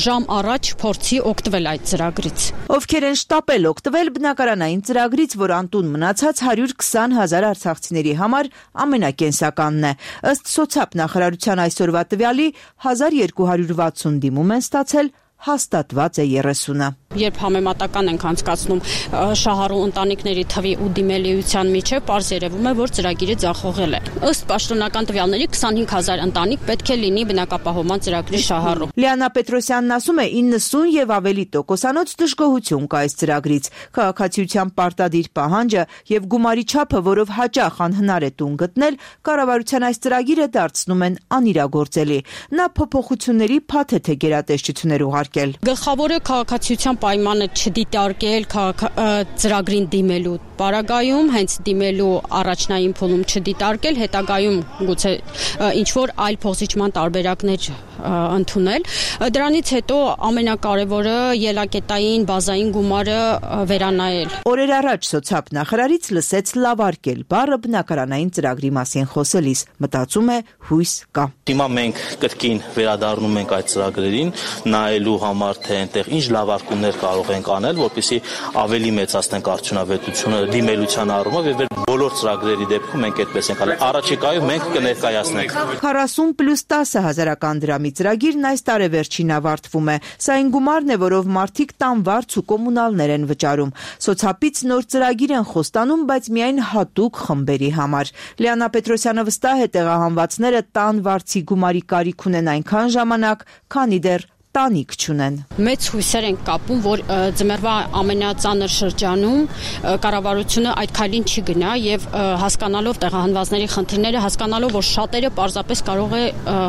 ժամ առաջ փորձի օգտվել այդ ծրագրից։ Ովքեր են շտապել օգտվել բնակարանային ծրագրից, որ անտուն մնացած հարյուր քսան հազար արցախցիների համար ամենակենսականն է։ Ըստ սոցիալ նախարարության այսօրվա տվյալի հազար երկու հարյուր վաթսուն դիմում են ստացել, հաստատված է երեսունը։ Երբ համեմատական ենք անցկացնում շահառու ընտանիքների թվի ու դիմելիության միջև, պարզ երևում է, որ ծրագիրը ձախողել է։ Ըստ պաշտոնական տվյալների քսանհինգ հազար ընտանիք պետք է լինի բնակապահովման ծրագրի շահառու։ Լիանա Պետրոսյանն ասում է իննսուն եւ ավելի տոկոսանոց դժգոհություն կա այս ծրագրից։ Քաղաքացիության պարտադիր պահանջը եւ գումարի չափը, որով հաճախ անհնար է տուն գտնել, կառավարության այս ծրագիրը դարձնում են անիրագործելի։ Նա փոփոխությունների փաթեթ է գերատեսչություններ ուղարկել։ Գլխավորը քաղաքացիության պայմանը չդիտարկել ծրագրին դիմելու պարագայում, հենց դիմելու առաջնային փուլում չդիտարկել, հետագայում գուցե ինչ-որ այլ փոխզիջման տարբերակներ ընդունել։ Դրանից հետո ամենակարևորը ելակետային բազային գումարը վերանայել։ Օրեր առաջ սոցիալ նախարարից լսեց լավարկել բառը բնակարանային ծրագրի մասին խոսելիս, մտածում է հույս կա։ Հիմա մենք կրկին վերադառնում ենք այդ ծրագրերին, նայելու համար, թե այնտեղ ինչ լավարկումներ կարող ենք անել, որպեսզի ավելի մեծացնենք արդյունավետությունը դիմելության առումով եւ բոլոր ծրագրերի դեպքում մենք այդպես ենք արել։ Առաջիկայում մենք կներկայացնենք քառասուն պլյուս տասը հազարական դրամի ծրագիրն այս տարեվերջին ավարտվում է։ Սա այն գումարն է, որով մարդիկ տան վարձ ու կոմունալներ են վճարում։ Սոցիալից նոր ծրագիր են խոստանում, բայց միայն հատուկ խմբերի համար։ Լիանա Պետրոսյանը վստահ է, տեղահանվածները տան վարձի գումարի կարիք ունեն այնքան ժամանակ, քանի դեռ տանիք չունեն։ Մեծ հույսեր են կապում, որ ձմեռվա ամենածանր շրջանում կառավարությունը այդ քայլին չի գնա եւ հասկանալով տեղահանվածների խնդիրները, հասկանալով, որ շատերը պարզապես կարող է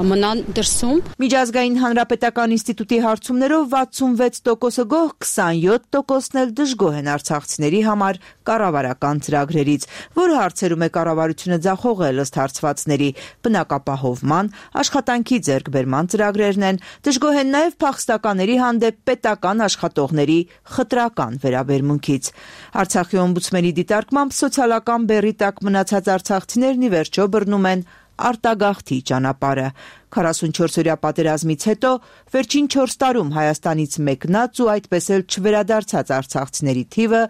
մնան դրսում։ Միջազգային հանրապետական ինստիտուտի հարցումներով վաթսունվեց տոկոսը գոհ, քսանյոթ տոկոսն էլ դժգոհ են արցախցիների համար կառավարական ծրագրերից, որ հարցերում է կառավարությունը ձախողել ըստ հարցվածների, բնակապահովման, աշխատանքի ձեռքբերման ծրագրերն են, դժգոհ են նաև փախստականների հանդեպ պետական աշխատողների խտրական վերաբերմունքից։ Արցախի օմբուդսմենի դիտարկմամբ սոցիալական բեռի տակ մնացած արցախցիներն ի վերջո բռնում են արտագաղթի ճանապարհը։ քառասունչորսօրյա պատերազմից հետո վերջին չորս տարում Հայաստանից մեկնած ու այդպես էլ չվերադարձած արցախցիների թիվը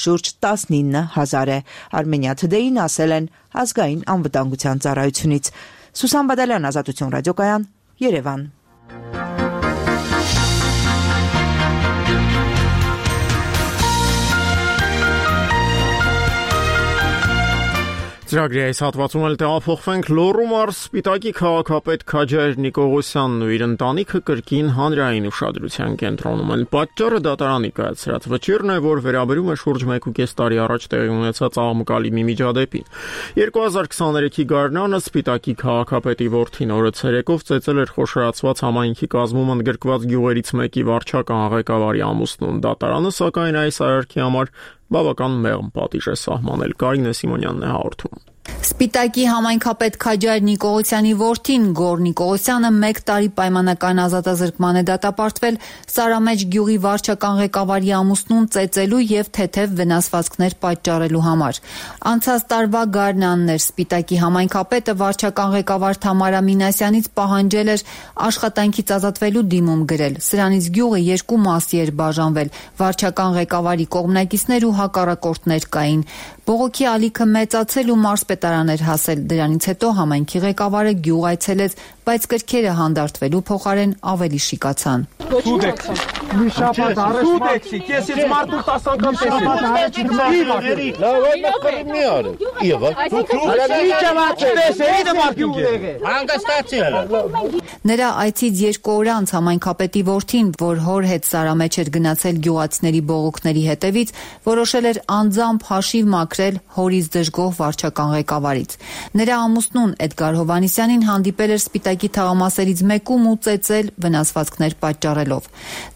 շուրջ տասնինը հազար է։ Armenia Today-ին ասել են ազգային անվտանգության ծառայությունից։ Սուսան Բադալյան, Ազատություն ռադիոկայան, Երևան։ Ծրագրի այս հատվածում էլ տեղափոխվենք Լոռու մարզ Սպիտակի քաղաքապետ Քաջայր Նիկողոսյանն ու իր ընտանիքը կրկին հանրային ուշադրության կենտրոնում են։ Պատճառը դատարանի կայացրած վճիռն է, որ վերաբերում է շուրջ մեկ ու կես տարի առաջ տեղի ունեցած աղմկալի մի միջադեպին։ երկու հազար քսաներեքի գարնանը Սպիտակի քաղաքապետի որդին օրը ցերեկով ծեծել էր խոշորացված համայնքի կազմում ընդգրկված գյուղերից մեկի վարչական ղեկավարի ամուսնուն։ Դատարանը սակայն այս արարքի համար բավական մեղմ պատիժ է սահմանել։ Կարինե Սիմոնյանն է հաղորդում։ Սպիտակի համայնքապետ Քաջայր Նիկողոսյանի որդին Գոր Նիկողոսյանը մեկ տարի պայմանական ազատազրկման է դատապարտվել Սարամեջ գյուղի վարչական ղեկավարի ամուսնուն ծեծելու եւ թեթեւ վնասվածքներ պատճառելու համար։ Անցած տարվա գարնանն էր Սպիտակի համայնքապետը վարչական ղեկավար Թամարա Մինասյանից պահանջել էր աշխատանքից ազատվելու դիմում գրել։ Սրանից գյուղը երկու մասի էր բաժանվել։ Վարչական ղեկավարի կողմնակիցներ ու հակառակորդներ կային։ Բողոքի ալիքը մեծացել ու մարզպետարան էր հասել։ Դրանից հետո համայնքի ղեկավարը գյուղ այցելեց, բայց կրքերը հանդարտվելու փոխարեն ավելի շիկացան։ Սուդեքսի։ Մի շաբաթ առաջ սուդեքսի, քեսից մարդու տասը անգամ տեսի։ Լավ, այդ մի օր։ Եվ Նրա այցից երկու օր անց համայնքապետի որդին, որ հոր հետ Սարամեջ էր գնացել գյուղացիների բողոքների հետևից, որոշել էր անձամբ հաշիվ մաքրել հորից դժգոհ վարչական ղեկավարից։ Նրա ամուսնուն Էդգար Հովհաննիսյանին հանդիպել էր Սպիտակի թաղամասերից մեկում ու ծեծել վնասվածքներ պատճառելով։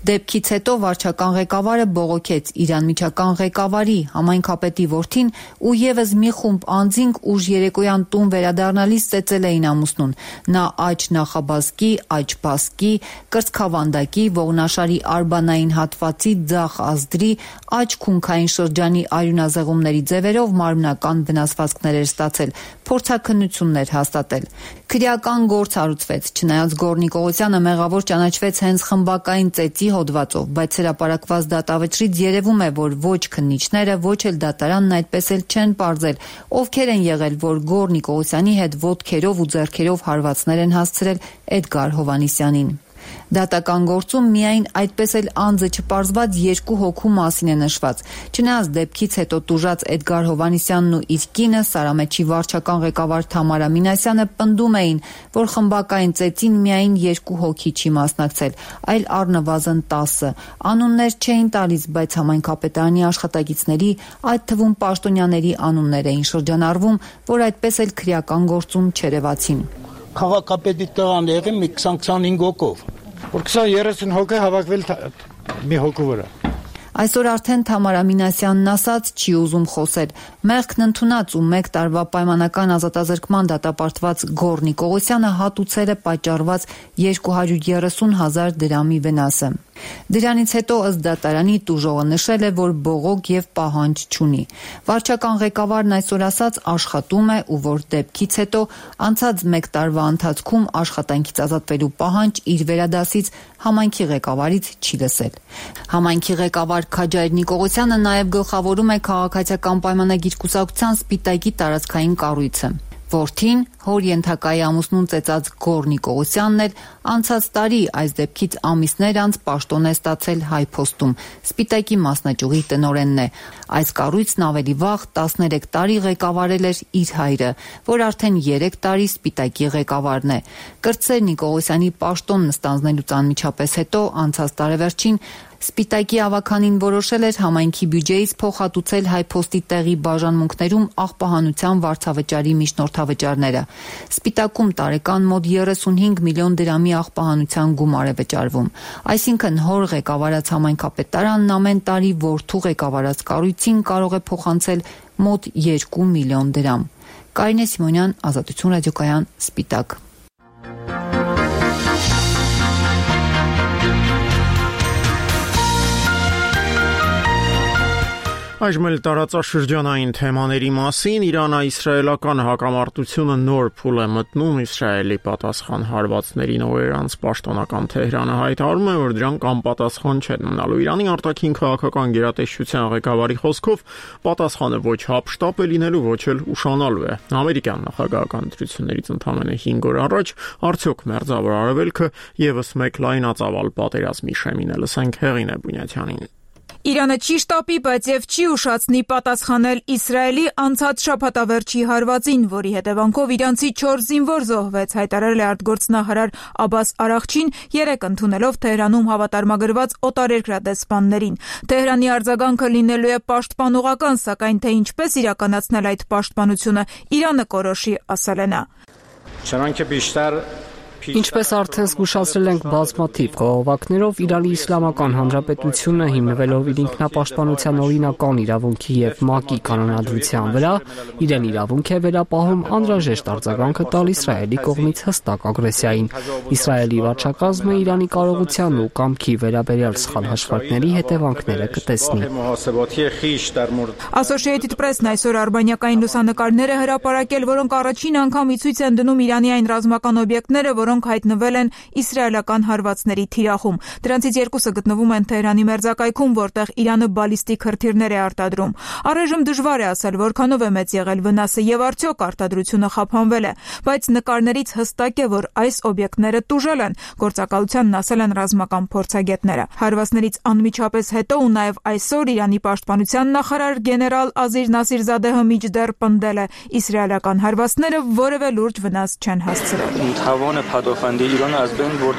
Դեպքից հետո վարչական ղեկավարը բողոքեց իր անմիջական ղեկավարի համայնքապետի որդին ու եւս մի խումբ անձինք ուժ երեկոյան տուն վերադառնալիս ծեծել էին ամուսնուն։ Նա աջ նախաբազկի, աջ բասկի, կրծքավանդակի, ողնաշարի արբանային հատվածի, ձախ ազդրի, աջ քունքային շրջանի արյունազեղումների ձևերով մարմնական վնասվածքներ էր ստացել, փորձաքննություններ հաստատել։ Քրեական գործ հարուցվեց, չնայած Գոր Նիկողոսյանը մեղավոր ճանաչվեց հենց խմբակային ծեծի հոդվածով, բայց հրապարակված դատավճռից երևում է, որ ոչ քննիչները, ոչ էլ դատարանն այդպես էլ չեն պարզել, ովքեր են եղել, որ Գոր Նիկողոսյանի հետ ոտքերով ու ձեռքերով հարվածներ են հասցրել Էդգար Հովհաննիսյանին։ Դատական գործում միայն այդպես էլ անձը չպարզված երկու հոգու մասին է նշված։ Չնայած դեպքից հետո տուժած Էդգար Հովհաննիսյանն ու իր կինը Սարամեջի վարչական ղեկավար Թամարա Մինասյանը պնդում էին, որ խմբակային ծեծին միայն երկու հոգի չի մասնակցել, այլ առնվազն տասը։ Անուններ չէին տալիս, բայց համայնքապետարանի աշխատակիցների, այդ թվում պաշտոնյաների անուններ էին շրջանառվում, որ այդպես էլ քրեական գործում չերևացին։ Քաղաքապետի տեղան եղի մի քսան քսանհինգ հոգով, որ քսան երեսուն հոգի հավաքվել մի հոգու վրա։ Այսօր արդեն Թամարա Մինասյանն ասաց չի ուզում խոսել։ Մեղքն ընդունած ու մեկ տարվա պայմանական ազատազրկման դատապարտված Գոր Նիկողոսյանը հատուցել է պատճառված երկու հարյուր երեսուն հազար դրամի վնասը։ Դրանից հետո ըստ դատարանի տուժողը նշել է, որ բողոք եւ պահանջ չունի։ Վարչական ղեկավարն այսօր ասաց աշխատում է ու որ դեպքից հետո անցած մեկ տարվա ընթացքում աշխատանքից ազատվելու պահանջ իր վերադասից համայնքի ղեկավարից չի լսել։ Համայնքի ղեկավար Քաջայր Նիկողոսյանը նաև գլխավորում է քաղաքացիական պայմանագիր կուսակցության Սպիտակի տարածքային կառույցը։ Որդին, հոր ենթակայի ամուսնուն ծեծած Գոր Նիկողոսյանն էլ անցած տարի այս դեպքից ամիսներ անց պաշտոն է ստացել Հայփոստում, Սպիտակի մասնաճյուղի տնօրենն է։ Այս կառույցն ավելի վաղ տասներեք տարի ղեկավարել էր իր հայրը, որ արդեն երեք տարի Սպիտակի ղեկավարն է։ Կրտսեր Նիկողոսյանի պաշտոնն ստանձնելուց անմիջապես հետո անցած տարեվերջին Սպիտակի ավականին որոշել էր համայնքի բյուջեից փոխհատուցել Հայփոստի տեղի բաժանմունքներում աղբահանության վարձավճարի միջնորդավճարները։ Սպիտակում տարեկան մոտ երեսունհինգ միլիոն դրամի աղբահանության գումար է վճարվում։ Այսինքն հոր ղեկավարած համայնքապետարանն ամեն տարի որդու ղեկավարած կառույցին կարող է փոխանցել մոտ երկու միլիոն դրամ։ Կարինե Սիմոնյան, Ազատություն ռադիոկայան, Սպիտակ։ Այժմ էլ տարածաշրջանային թեմաների մասին Իրано-իսրայելական հակամարտությունը նոր փուլ է մտնում Իսրայելի պատասխան հարվածներին, ով իրանց պաշտոնական Թեհրանը հայտարարում է, որ դրանք անպատասխան չեն մնալու։ Իրանի արտաքին քաղաքական գերատեսչության ղեկավարի խոսքով պատասխանը ոչ հափշտապ է լինելու, ոչ էլ ուշանալու է։ Ամերիկյան նախագահական ընտրություններից ընդամենը հինգ օր առաջ արդյոք մերձավոր արևելքը եւս մեկ լայնածավալ պատերազմի շեմին է։ Լսենք Հեղինե Բունյաթյանին։ Իրանը չի շտապի, բայց եւ չի ուշացնի պատասխանել Իսրայելի անցած շաբաթավերջի հարվածին, որի հետևանքով իրանցի չորս զինվոր զոհվեց, հայտարարել է արտգործնախարար Աբաս Արաղչին, երեկ ընդունելով Թեհրանում հավատարմագրված օտարերկրադեսպաններին։ Թեհրանի արձագանքը լինելու է պաշտպանողական, սակայն թե ինչպես իրականացնել այդ պաշտպանությունը Իրանը կորոշի, ասել է նա։ Ինչպես արդեն զգուշացրել ենք բազմաթիվ խաղաղակներով, Իրանի Իսլամական Հանրապետությունը հիմնվելով իր ինքնապաշտպանության օրինական իրավունքի եւ ՄԱԿ-ի կանոնադրության վրա, իրեն իրավունք է վերապահում անհրաժեշտ արձագանքը տալ Իսրայելի կողմից հստակ ագրեսիային։ Իսրայելի վարչակազմը Իրանի կարողության ու կամքի վերաբերյալ սխալ հաշվարկների հետևանքները կտեսնի։ Associated Press-ն այսօր արբանյակային լուսանկարներ է հրապարակել, որոնք առաջին անգամ ի ցույց են դնում Իրանի այն ռազմական օբյեկտները, որոնք հայտնվել են իսրայելական հարվածների թիրախում։ Դրանցից երկուսը գտնվում են Թեհրանի մերձակայքում, որտեղ Իրանը բալիստիկ հրթիռներ է արտադրում։ Առայժմ դժվար է ասել, որքանով է մեծ եղել վնասը եւ արդյոք արտադրությունը խափանվել է, բայց նկարներից հստակ է, որ այս օբյեկտները տուժել են, գործակալությանն ասել են ռազմական փորձագետները։ Հարվածներից անմիջապես հետո ու նաեւ այսօր Իրանի պաշտպանության նախարար գեներալ Ազիր Նասիրզադեհը միջդեռ պնդել է, իսրայելական հարվածները որևէ լուրջ վնաս չեն հասցրել։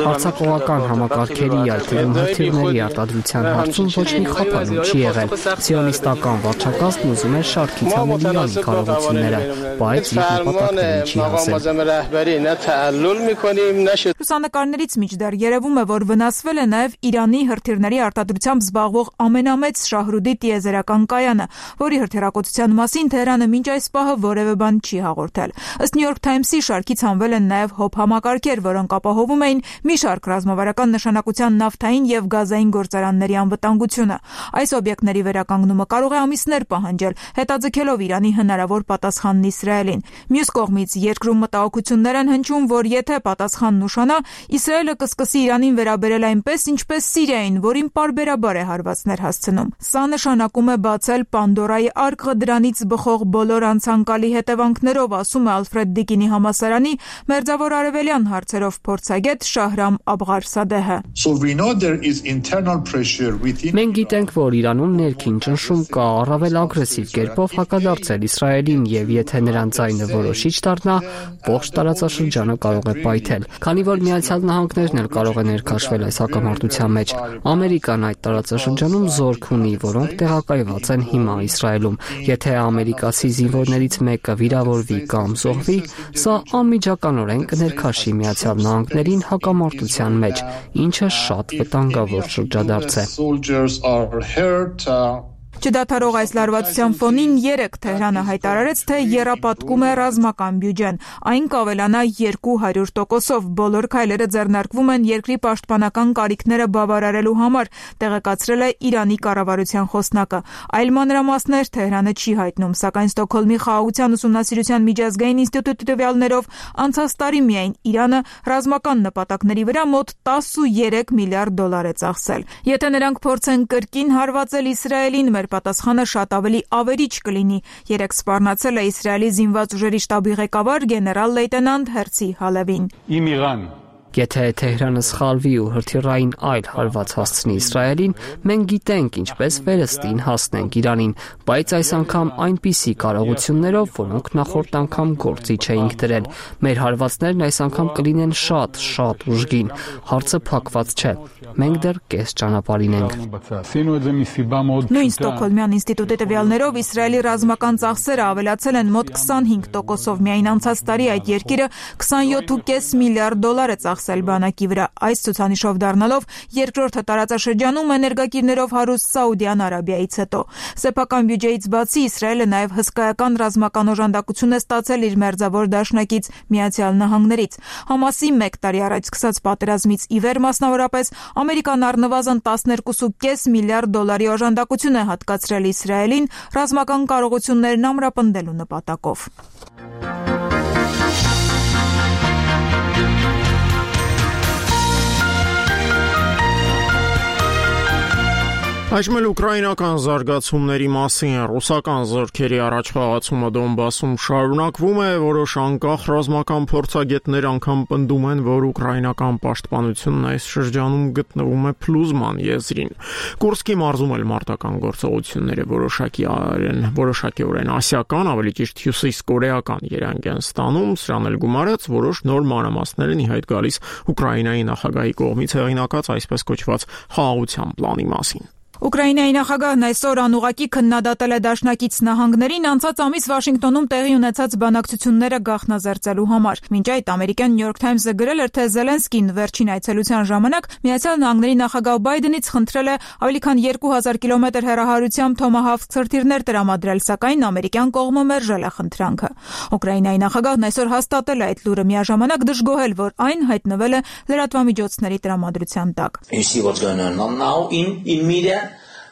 Արձակողական համակարգերի այդտեղում հրթիռների արտադրության հարցում ոչ մի խափանում չի եղել։ Սիոնիստական վարչակազմն ուզում է շարքից հանել Իրանի կարողությունները, բայց իր նպատակներին չի հասել։ Լուսանկարներից միջդեռ երևում է, որ վնասվել է նաև Իրանի հրթիռների արտադրությամբ զբաղվող ամենամեծ Շահրուդի տիեզերական կայանը, որի հրթիռակոծության մասին Թեհրանը մինչ այս պահը որևէ բան չի հաղորդել։ Ըստ New York Times-ի շարքից հանվել են նաև հոբ համակարգեր, որոնք ապահովում էին մի շարք ռազմավարական նշանակության նավթային եւ գազային գործարանների անվտանգությունը։ Այս օբյեկտների վերականգնումը կարող է ամիսներ պահանջել, հետաձգելով Իրանի հնարավոր պատասխանն Իսրայելին։ Մյուս կողմից երկրում մտահոգություններ են հնչում, որ եթե պատասխանն ուշանա, Իսրայելը կսկսի Իրանին վերաբերել այնպես, ինչպես Սիրիային, որին պարբերաբար է հարվածներ հասցնում։ Սա նշանակում է բացել Պանդորայի արկղը դրանից բխող բոլոր անցանկալի հետևանքներով, ասում է Ալֆրեդ Դիկինի համալսարանի մերձավոր արևելյան հարցերով փորձագետ Շահրամ Աբղարսադեհը։ Մենք գիտենք, որ Իրանում ներքին ճնշում կա առավել ագրեսիվ կերպով հակադարձել Իսրայելին եւ եթե նրան ձայնը որոշիչ դառնա, ողջ տարածաշրջանը կարող է պայթել։ Քանի որ Միացյալ Նահանգներն էլ կարող է ներքաշվել այս հակամարտության մեջ, Ամերիկան այդ տարածաշրջանում զորք ունի, որոնք տեղակայված են հիմա Իսրայելում։ Եթե ամերիկացի զինվորներից մեկը վիրավորվի կամ զոհվի, սա անմիջականորեն կներքաշի Միացյալ Նահանգներին հակամարտության մեջ, ինչը շատ վտանգավոր շրջադարձ է։ Չդադարող այս լարվածության ֆոնին երեկ Թեհրանը հայտարարեց, թե եռապատկում է ռազմական բյուջեն, այն կավելանա երկու հարյուր տոկոսով, բոլոր քայլերը ձեռնարկվում են երկրի պաշտպանական կարիքները բավարարելու համար, տեղեկացրել է Իրանի կառավարության խոսնակը։ Այլ մանրամասներ Թեհրանը չի հայտնում, սակայն Ստոկհոլմի խաղաղության ուսումնասիրության միջազգային ինստիտուտի տվյալներով անցած տարի միայն Իրանը ռազմական նպատակների վրա մոտ տասնուերեք միլիարդ դոլար է ծախսել։ Եթե նրանք փորձեն կրկին հարվածել Իսրայելին, մեր պատասխանը շատ ավելի ավերիչ կլինի, երեկ սպառնացել է Իսրայելի զինված ուժերի շտաբի ղեկավար գեներալ լեյտենանտ Հերցի Հալևին։ Իմ Իրան Եթե Թեհրանը սխալվի ու հրթիռային այլ հարված հասցնի Իսրայելին, մենք գիտենք ինչպես վերստին հասնենք Իրանին, բայց այս անգամ այնպիսի կարողություններով, որոնք նախորդ անգամ գործի չէինք դրել։ Մեր հարվածներն այս անգամ կլինեն շատ, շատ ուժգին։ Հարցը փակված չէ։ Մենք դեռ կես ճանապարհին ենք։ Նույն Ստոկհոլմյան ինստիտուտի տվյալներով Իսրայելի ռազմական ծախսերը ավելացել են մոտ քսանհինգ տոկոսով։ Միայն անցած տարի այդ երկիրը քսանյոթ կόμμα պենս միլիարդ դոլար է ծախսել բանակի վրա, այս ցուցանիշով դառնալով երկրորդը տարածաշրջանում էներգակիրներով հարուստ Սաուդյան Արաբիայից հետո։ Սեփական բյուջեից բացի Իսրայելը նաև հսկայական ռազմական օժանդակություն է ստացել իր մերձավոր դաշնակից Միացյալ Նահանգներից։ Համասի մեկ տարի առաջ սկսած պատերազմից ի վեր մասնավորապես Ամերիկան առնվազն տասներկու կόμμα պենս միլիարդ դոլարի օժանդակություն է հատկացրել Իսրայելին ռազմական կարողություններն ամրապնդելու նպատակով։ Այժմ էլ ուկրաինական զարգացումների մասին ռուսական զորքերի առաջխաղացումը Դոնբասում շարունակվում է, որոշ անկախ ռազմական փորձագետներ անգամ պնդում են, որ ուկրաինական պաշտպանությունն այս շրջանում գտնվում է փլուզման եզրին։ Կուրսկի մարզում էլ մարտական գործողությունները որոշակիորեն որոշակիորեն ասիական, ավելի ճիշտ հյուսիսկորեական երանգ են ստանում, սրան էլ գումարած որոշ նոր մանրամասներ են ի հայտ գալիս Ուկրաինայի նախագահի կողմից հեղինակած այսպես կոչված խաղաղության պլանի մասին։ Ուկրաինայի նախագահն այսօր անուղղակի քննադատել է դաշնակից նահանգներին անցած ամիս Վաշինգտոնում տեղի ունեցած բանակցությունները գաղտնազերծելու համար։ Մինչ այդ ամերիկյան New York Times-ը գրել էր, թե Զելենսկին վերջին այցելության ժամանակ Միացյալ Նահանգների նախագահ Բայդենից խնդրել է ավելի քան երկու հազար կիլոմետր հեռահարությամբ Թոմահավք ցրտիրներ տրամադրել, սակայն ամերիկյան կողմը մերժել է խնդրանքը։ Ուկրաինայի նախագահն այսօր հաստատել է այդ լուրը, միաժամանակ դժգոհել, որ այն հայտնվել է լրատվամիջոցների տրամադրության տակ։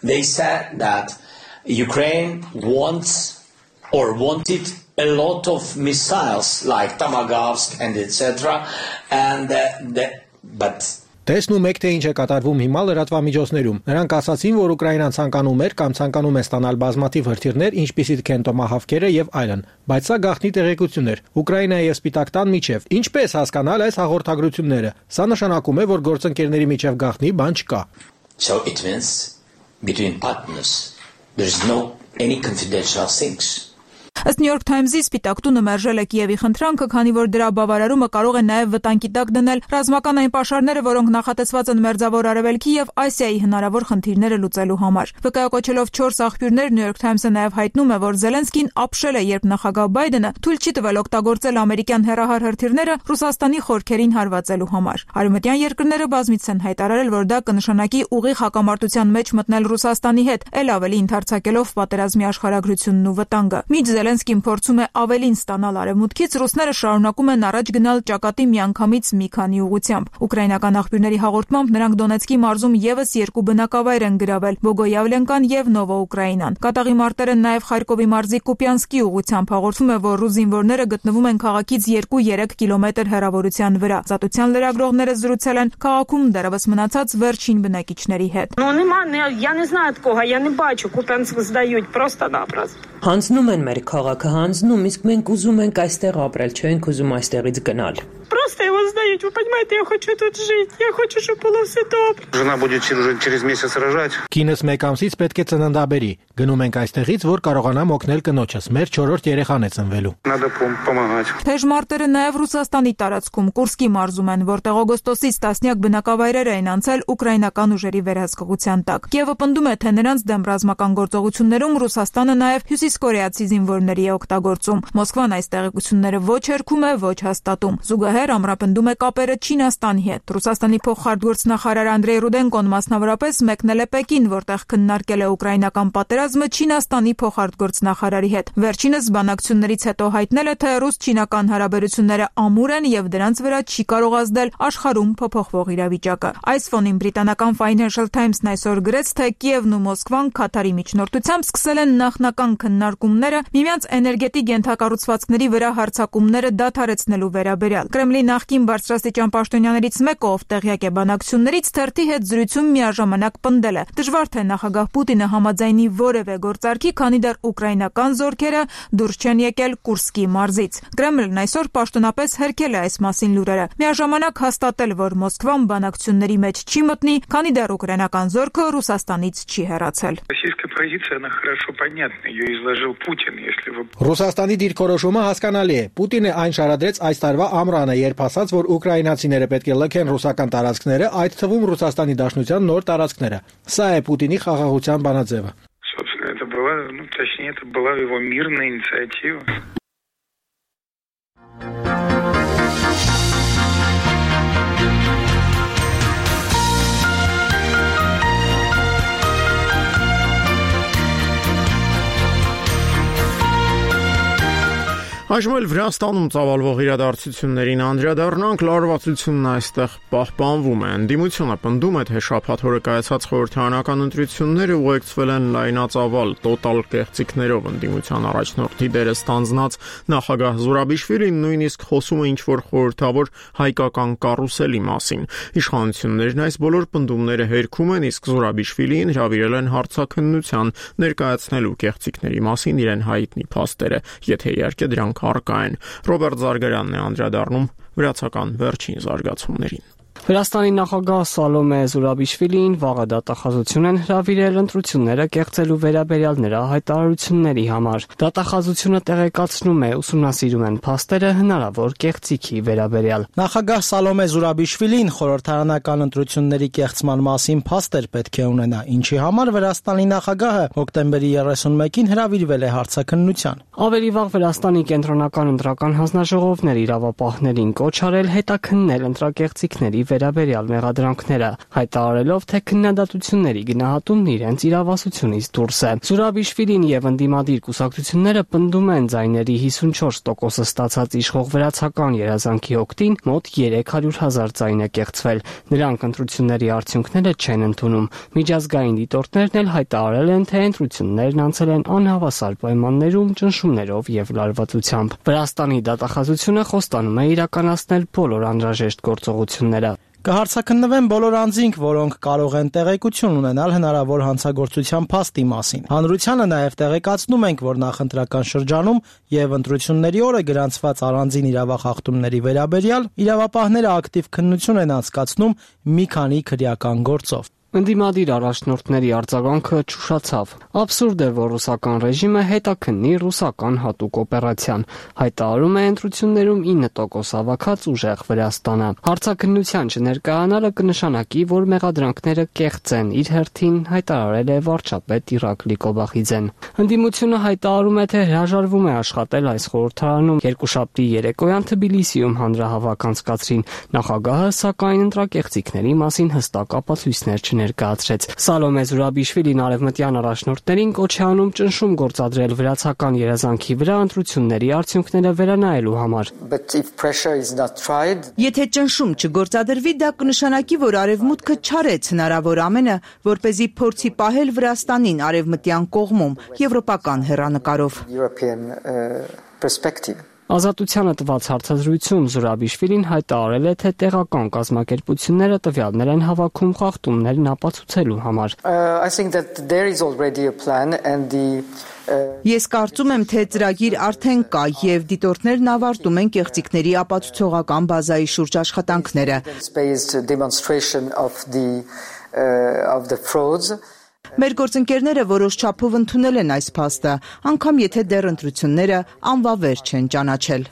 They said that Ukraine wants or wanted a lot of missiles like Tomahawk and et cetera. And uh, the, but Տեսնում եք, թե ինչ է կատարվում հիմա լրատվամիջոցներում։ Նրանք ասացին, որ Ուկրաինան ցանկանում էր կամ ցանկանում է ստանալ բազմաթիվ հրթիռներ, ինչպիսիք են Տոմահավքերը եւ այլն, բայց սա գաղտնի տեղեկություն էր։ Ուկրաինայի եւ Սպիտակ տան միջև ինչպես հասկանալ այս հաղորդագրությունները։ Սա նշանակում է, որ գործընկերների միջև գաղտնի բան չկա։ So it means between partners there is no any confidential things. Ըստ New York Times-ի Սպիտակ տունը մերժել է Կիևի խնդրանքը, քանի որ դրա բավարարումը կարող է նաև վտանգի տակ դնել ռազմական այն պաշարները, որոնք նախատեսված են Մերձավոր Արևելքի եւ Ասիայի հնարավոր խնդիրները լուծելու համար։ Վկայակոչելով չորս աղբյուրներ, New York Times-ը նաև հայտնում է, որ Զելենսկին ապշել է, երբ նախագահ Բայդենը թույլ չի տվել օգտագործել ամերիկյան հեռահար հրթիռները Ռուսաստանի խորքերին հարվածելու համար։ Արևմտյան երկրները բազմիցս են հայտարարել, որ դա կնշանակի ուղիղ հակամարտության մեջ մտնել Ռուսաստանի հետ, ել ավելի ընդարձակելով պատերազմի աշխարհագրությունն ու վտանգը։ Միջ Զելենսկին փորձում է ավելին ստանալ արևմուտքից, ռուսները շարունակում են առաջ գնալ ճակատի միանգամից մի քանի ուղությամբ։ Ուկրաինական աղբյուրների հաղորդմամբ նրանք Դոնեցկի մարզում եւս երկու բնակավայր են գրավել՝ Բոգոյավլենկան եւ Նովոուկրաինան։ Կատաղի մարտերը նաեւ Խարկովի մարզի Կուպյանսկի ուղությամբ հաղորդում է, որ ռուս զինվորները գտնվում են քաղաքից երկու-երեք килоմետր հեռավորության վրա։ Ազատության լրագրողները զրուցել են քաղաքում դեռևս մնացած վերջին բնակիչների հետ։ Հանձնում են մեր քաղաքը, հանձնում, իսկ մենք ուզում ենք այստեղ ապրել, չենք ուզում այստեղից գնալ։ Просто его знаете, вы понимаете, я хочу тут жить, я хочу, чтобы было все добре. Жена будет через месяц рожать. Կինս մեկ ամսից պետք է ծննդաբերի։ Գնում ենք այստեղից, որ կարողանամ օգնել կնոջս։ Մեր չորրորդ երեխան է ծնվելու։ Надо помогать. Թեժ մարտերը նաև Ռուսաստանի տարածքում Կուրսկի մարզում են, որտեղ օգոստոսից տասնյակ բնակավայրեր են անցել ուկրաինական ուժերի վերահսկողության տակ։ Կիևը պնդում է, թե նրանց դեմ ռազմական գործողություններում Ռուսաստանը նաև հյուսիսկորեացի զինվորների է օգտագործում։ Մոսկվան այս տեղեկությունները ոչ հերքում է, ոչ հաստատում։ Զուգահեռ ամրապնդում է կապերը Չինաստանի հետ։ Ռուսաստանի փոխարտգործնախարար Անդրեյ Ռուդենկոն մասնավորապես մեկնել է Պեկին, որտեղ քննարկել է ուկրաինական պատերազմը Չինաստանի փոխարտգործնախարարի հետ։ Վերջինս բանակցություններից հետո հայտնել է, թե ռուս-չինական հարաբերությունները ամուր են եւ դրանց վրա չի կարող ազդել աշխարհում փոփոխվող իրավիճակը։ Այս ֆոնին բրիտանական Financial Times-ն այսօր գրեց, թե Կիևն ու Մոսկվան Քաթարի միջնորդությամբ սկսել են նախնական քննարկումները միմյանց էներգետիկ ենթակառուցվածքների վրա հարձակումները դադարեցնելու վերաբերյալ։ Կրեմլի նախկին բարձրաստիճան պաշտոնյաներից մեկը, ով տեղյակ է բանակցություններից, թերթի հետ զրույցում միաժամանակ պնդել է. դժվար թե նախագահ Պուտինը համաձայնի որևէ գործարքի, քանի դեռ ուկրաինական զորքերը դուրս չեն եկել Կուրսկի մարզից։ Կրեմլն այսօր պաշտոնապես հերքել է այս մասին լուրերը, միաժամանակ հաստատել, որ Մոսկվան բանակցությունների մեջ չի մտնի, քանի դեռ ուկրաինական զորքը Ռուսաստանից չի հեռացել։ Ռուսաստանի դիրքորոշումը հասկանալի է։ Պուտինը այն շարադրեց այս տարվա ամռանը, երբ ասաց, որ ուկրաինացիները պետք է լքեն ռուսական տարածքները, այդ թվում Ռուսաստանի Դաշնության նոր տարածքները։ Սա է Պուտինի խաղաղության բանաձևը։ Այժմ էլ Վրաստանում ծավալվող իրադարձություններին անդրադառնանք, լարվածությունն այստեղ պահպանվում է։ Ընդդիմությունը պնդում է, թե շաբաթ օրը կայացած խորհրդարանական ընտրությունները ուղեկցվել են լայնածավալ տոտալ կեղծիքներով։ Ընդդիմության առաջնորդի դերը ստանձնած նախագահ Զուրաբիշվիլին նույնիսկ խոսում է ինչ-որ խորհրդավոր հայկական կարուսելի մասին։ Իշխանություններն այս բոլոր պնդումները հերքում են, իսկ Զուրաբիշվիլին հրավիրել են հարցաքննության, ներկայացնելու կեղծիքների մասին իրեն հայտնի փաստերը, եթե իհարկե դրանք առկա են։ Ռոբերտ Զարգարյանն է անդրադառնում վրացական վերջին զարգացումներին։ Վրաստանի նախագահ Սալոմե Զուրաբիշվիլին վաղը դատախազություն են հրավիրել ընտրությունները կեղծելու վերաբերյալ նրա հայտարարությունների համար։ Դատախազությունը տեղեկացնում է, ուսումնասիրում են փաստերը հնարավոր կեղծիքի վերաբերյալ։ Նախագահ Սալոմե Զուրաբիշվիլին խորհրդարանական ընտրությունների կեղծման մասին փաստեր պետք է ունենա, ինչի համար Վրաստանի նախագահը հոկտեմբերի երեսունմեկին հրավիրվել է հարցաքննության։ Ավելի վաղ Վրաստանի կենտրոնական ընտրական հանձնաժողովն իրավապահներին կոչ արել հետաքննել ընտրակեղծիքների վերաբերյալ մեղադրանքները, հայտարարելով, թե քննադատությունների գնահատումն իրենց իրավասությունից դուրս է։ Զուրաբիշվիլին եւ ընդդիմադիր կուսակցությունները պնդում են ձայների հիսունչորս տոկոսը ստացած իշխող վրացական երազանքի օգտին մոտ երեք հարյուր հազար ձայն է կեղծվել։ Նրանք ընտրությունների արդյունքները չեն ընդունում։ Միջազգային դիտորդներն էլ հայտարարել են, թե ընտրություններն անցել են անհավասար պայմաններում, ճնշումներով եւ լարվածությամբ։ Վրաստանի դատախազությունը խոստանում է իրականացնել բոլոր անհրաժեշտ գործողությունները։ Կհարցաքննվեն բոլոր անձինք, որոնք կարող են տեղեկություն ունենալ հնարավոր հանցագործության փաստի մասին։ Հանրությանը նաև տեղեկացնում ենք, որ նախընտրական շրջանում եւ ընտրությունների օրը գրանցված առանձին իրավախախտումների վերաբերյալ իրավապահները ակտիվ քննություն են անցկացնում մի քանի քրեական գործով։ Ընդդիմադիր առաջնորդների արձագանքը չուշացավ։ Աբսուրդ է, որ ռուսական ռեժիմը հետաքննի ռուսական հատուկ օպերացիան, հայտարարում է ընտրություններում ինը տոկոս հավաքած ուժեղ Վրաստանը։ Հարցաքննության չներկայանալը կնշանակի, որ մեղադրանքները կեղծ են, իր հերթին հայտարարել է վարչապետ Իրակլի Կոբախիձեն։ Ընդդիմությունը հայտարարում է, թե հրաժարվում է աշխատել այս խորհրդարանում։ Երկուշաբթի երեկոյան Թբիլիսիում հանրահավաք անցկացրին։ Նախագահը, սակայն, ընտրակեղծիքների մասին հստակ ապացույցներ չներ ներկայացրեց։ Սալոմե Զուրաբիշվիլին արևմտյան առաջնորդներին կոչ է անում ճնշում գործադրել վրացական երազանքի վրա ընտրությունների արդյունքները վերանայելու համար։ Եթե ճնշում չգործադրվի, դա կնշանակի, որ արևմուտքը չարեց հնարավոր ամենը, որպեսզի փորձի պահել Վրաստանին արևմտյան կողմում, եվրոպական հեռանկարով։ Ազատությանը տված հարցազրույցում Զուրաբիշվիլին հայտարարել է, թե տեղական կազմակերպությունները տվյալներ են հավաքում խախտումներն ապացուցելու համար։ Ես կարծում եմ, թե ծրագիր արդեն կա եւ դիտորդներն ավարտում են կեղծիքների ապացուցողական բազայի շուրջ աշխատանքները։ Մեր գործընկերները որոշ չափով ընդունել են այս փաստը, անգամ եթե դեռ ընտրությունները անվավեր չեն ճանաչել։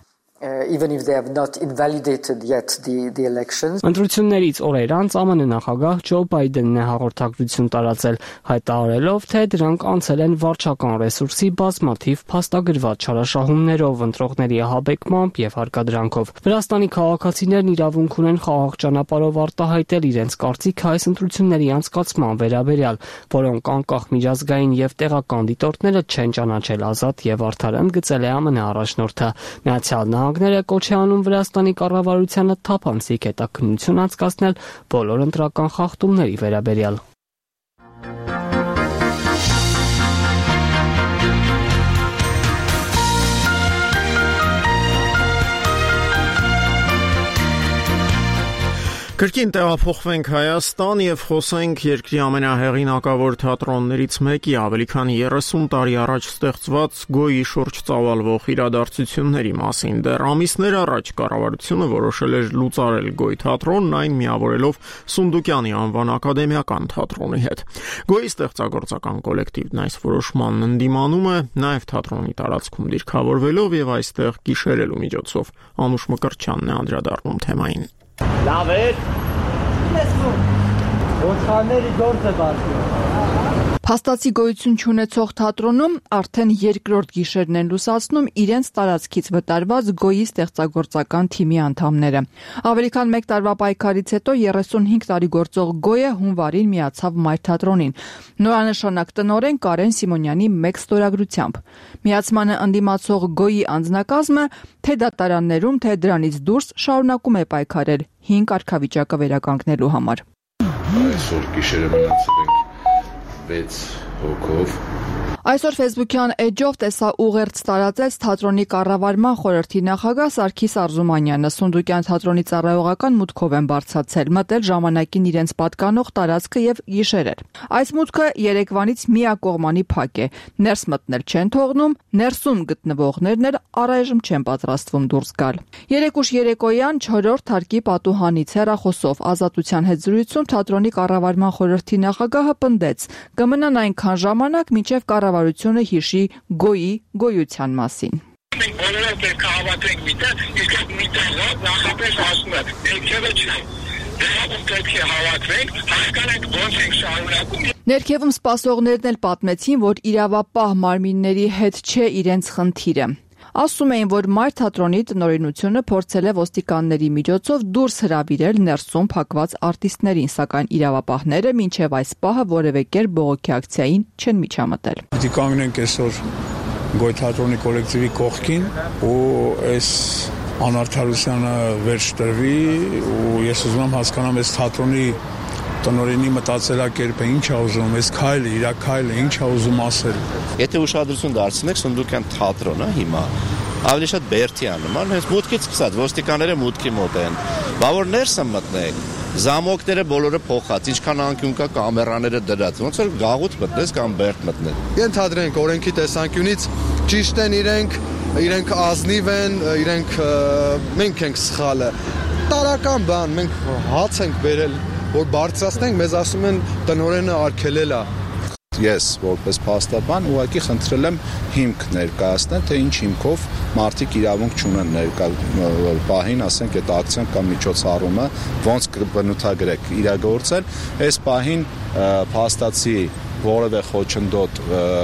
even if they have not invalidated yet the the elections. Ընտրություններից օրեր անց ԱՄՆ նախագահ Ջո Բայդենն է հաղորդակցություն տարածել, հայտարարելով, թե դրանք անցել են վարչական ռեսուրսի բազմաթիվ փաստագրված չարաշահումներով, ընտրողների ահաբեկմամբ եւ հարկադրանքով։ Վրաստանի քաղաքացիներն իրավունք ունեն խաղաղ ճանապարհով արտահայտել իրենց կարծիքը այս ընտրությունների անցկացման վերաբերյալ, որոնք անկախ միջազգային եւ տեղական դիտորդները չեն ճանաչել ազատ եւ արդար, ընդգծել է ԱՄՆ առաջնորդը։ Միացյալ Նահանգները կոչ է անում Վրաստանի կառավարությանը թափանցիկ հետաքննություն անցկացնել բոլոր ընտրական խախտումների վերաբերյալ։ Կրկին տեղափոխվենք Հայաստան եւ խոսենք երկրի ամենահեղինակավոր թատրոններից մեկի ավելի քան երեսուն տարի առաջ ստեղծված Գոյի շուրջ ծավալվող իրադարձությունների մասին։ Դեռ ամիսներ առաջ կառավարությունը որոշել էր լուծարել Գոյ թատրոնն, այն միավորելով Սունդուկյանի անվան ակադեմիական թատրոնի հետ։ Գոյի ստեղծագործական կոլեկտիվն այս որոշմանն ընդդիմանում է, նաեւ թատրոնի տարածքում դիրքավորվելով եւ այստեղ գիշերելու միջոցով։ Անուշ Մկրտչյանն է անդրադառնում թեմային։ Լավ էր։ Ոչխարների գործ է բացում։ Փաստացի գոյություն չունեցող թատրոնում արդեն երկրորդ գիշերն են լուսացնում իրենց տարածքից վտարված Գոյի ստեղծագործական թիմի անդամները։ Ավելի քան մեկ տարվա պայքարից հետո երեսունհինգ տարի գործող Գոյը հունվարին միացավ Մայր թատրոնին։ Նորանշանակ տնօրեն Կարեն Սիմոնյանի մեկ ստորագրությամբ։ Միացմանը ընդդիմացող Գոյի անձնակազմը թե դատարաններում, թե դրանից դուրս շարունակում է պայքարել հին կարգավիճակը վերականգնելու համար։ Այսօր գիշերը մնացել ենք վեց հոգով։ Այսօր Facebook-յան էջով տեսա ուղերձ տարածեց թատրոնի կառավարման խորհրդի նախագահ Սարգիս Արզումանյանը։ Սունդուկյան թատրոնի ծառայողական մուտքով են բարձրացել, մտել ժամանակին իրենց պատկանող տարածքը եւ գիշերել։ Այս մուտքը երեկվանից միակողմանի փակ է։ Ներս մտնել չեն թողնում, ներսում գտնվողներն էլ առայժմ չեն պատրաստվում դուրս գալ։ Երեք ուշ երեկոյան չորրորդ հարկի պատուհանից հեռախոսով Ազատության հետ զրույցում թատրոնի կառավարման խորհրդի նախագահը պնդեց. կմնան այնքան ժամանակ, մինչև կառավարությունը հիշի Գոյի գոյության մասին։ Մենք բոլորով պետք է հավատենք միտեղ, իսկ միտեղը նախապես ասում է, ներքևը չէ։ Դրանով պետք է հավատվենք, հասկանանք ոնց ենք շարունակում։ Ներքևում սպասողներն էլ պատմեցին, որ իրավապահ մարմինների հետ չէ իրենց խնդիրը։ Ասում էին, որ Մայր թատրոնի տնօրինությունը փորձել է ոստիկանների միջոցով դուրս հրավիրել ներսում փակված արտիստներին, սակայն իրավապահները մինչև այս պահը որևէ կերպ բողոքի ակցիային չեն միջամտել։ Դի կանգնենք այսօր Գոյ թատրոնի կոլեկտիվի կողքին ու այս անարդարությանը վերջ տրվի ու ես ուզում եմ հասկանամ այս թատրոնի տնօրենի մտածելակերպը ինչ է ուզում, այս քայլը, իր քայլը ինչ է ուզում ասել։ Եթե ուշադրություն դարձնեք Սունդուկյան թատրոնը հիմա ավելի շատ Բերդի է նման, հենց մուտքից սկսած ոստիկանները մուտքի մոտ են։ Բա որ ներսը մտնեք, զամոկները բոլորը փոխած, ինչքան անկյուն կա կամերաները դրած, ոնց որ գաղութ մտնես կամ Բերդ մտնես։ Ենթադրենք օրենքի տեսանկյունից ճիշտ են իրենք, իրենք ազնիվ են, իրենք մենք ենք սխալը։ Տարական բան, մենք հաց ենք բերել, որ բարձրացնենք, մեզ ասում են տնօրենը արգելել է։ Ես որպես փաստաբան ուղղակի խնդրել եմ հիմք ներկայացնել, թե ինչ հիմքով մարդիկ իրավունք չունեն ներկա պահին, ասենք այդ ակցիան կամ միջոցառումը ոնց կբնութագրեք իրագործել, այս պահին փաստացի որևէ խոչընդոտ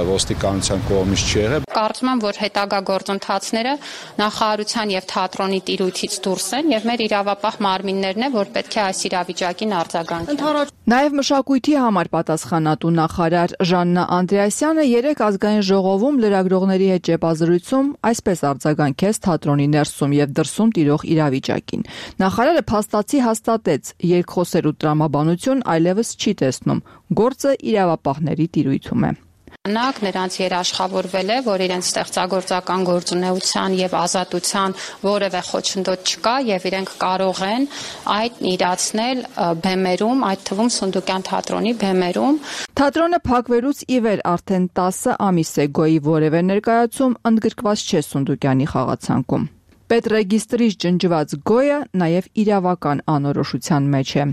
ոստիկանության կողմից չի եղել։ Կարծում եմ, որ հետագա գործընթացները նախարարության եւ թատրոնի տիրույթից դուրս են եւ մեր իրավապահ մարմիններն է, որ պետք է այս իրավիճակին արձագանքեն։ Նաեւ մշակույթի համար պատասխանատու նախարար Ժաննա Անդրեասյանը երեք ազգային ժողովում լրագրողների հետ ճեպազրույցում այսպես արձագանքեց թատրոնի ներսում եւ դրսում տիրող իրավիճակին։ Նախարարը փաստացի հաստատեց, երկխոսելու տրամաբանություն այլևս չի տեսնում, գործը իրավապահների տիրույթում է։ Նրանք նրանց երաշխավորվել է, որ իրենց ստեղծագործական գործունեության եւ ազատության որևէ խոչընդոտ չկա եւ իրենք կարող են այդ իրացնել բեմերում, այդ թվում Սունդուկյան թատրոնի բեմերում։ Թատրոնը փակվելուց ի վեր արդեն տասը ամիս է Գոյի որևէ ներկայացում ընդգրկված չէ Սունդուկյանի խաղացանկում։ Պետրեգիստրից ջնջված գոյը նաև իրավական անորոշության մեջ է։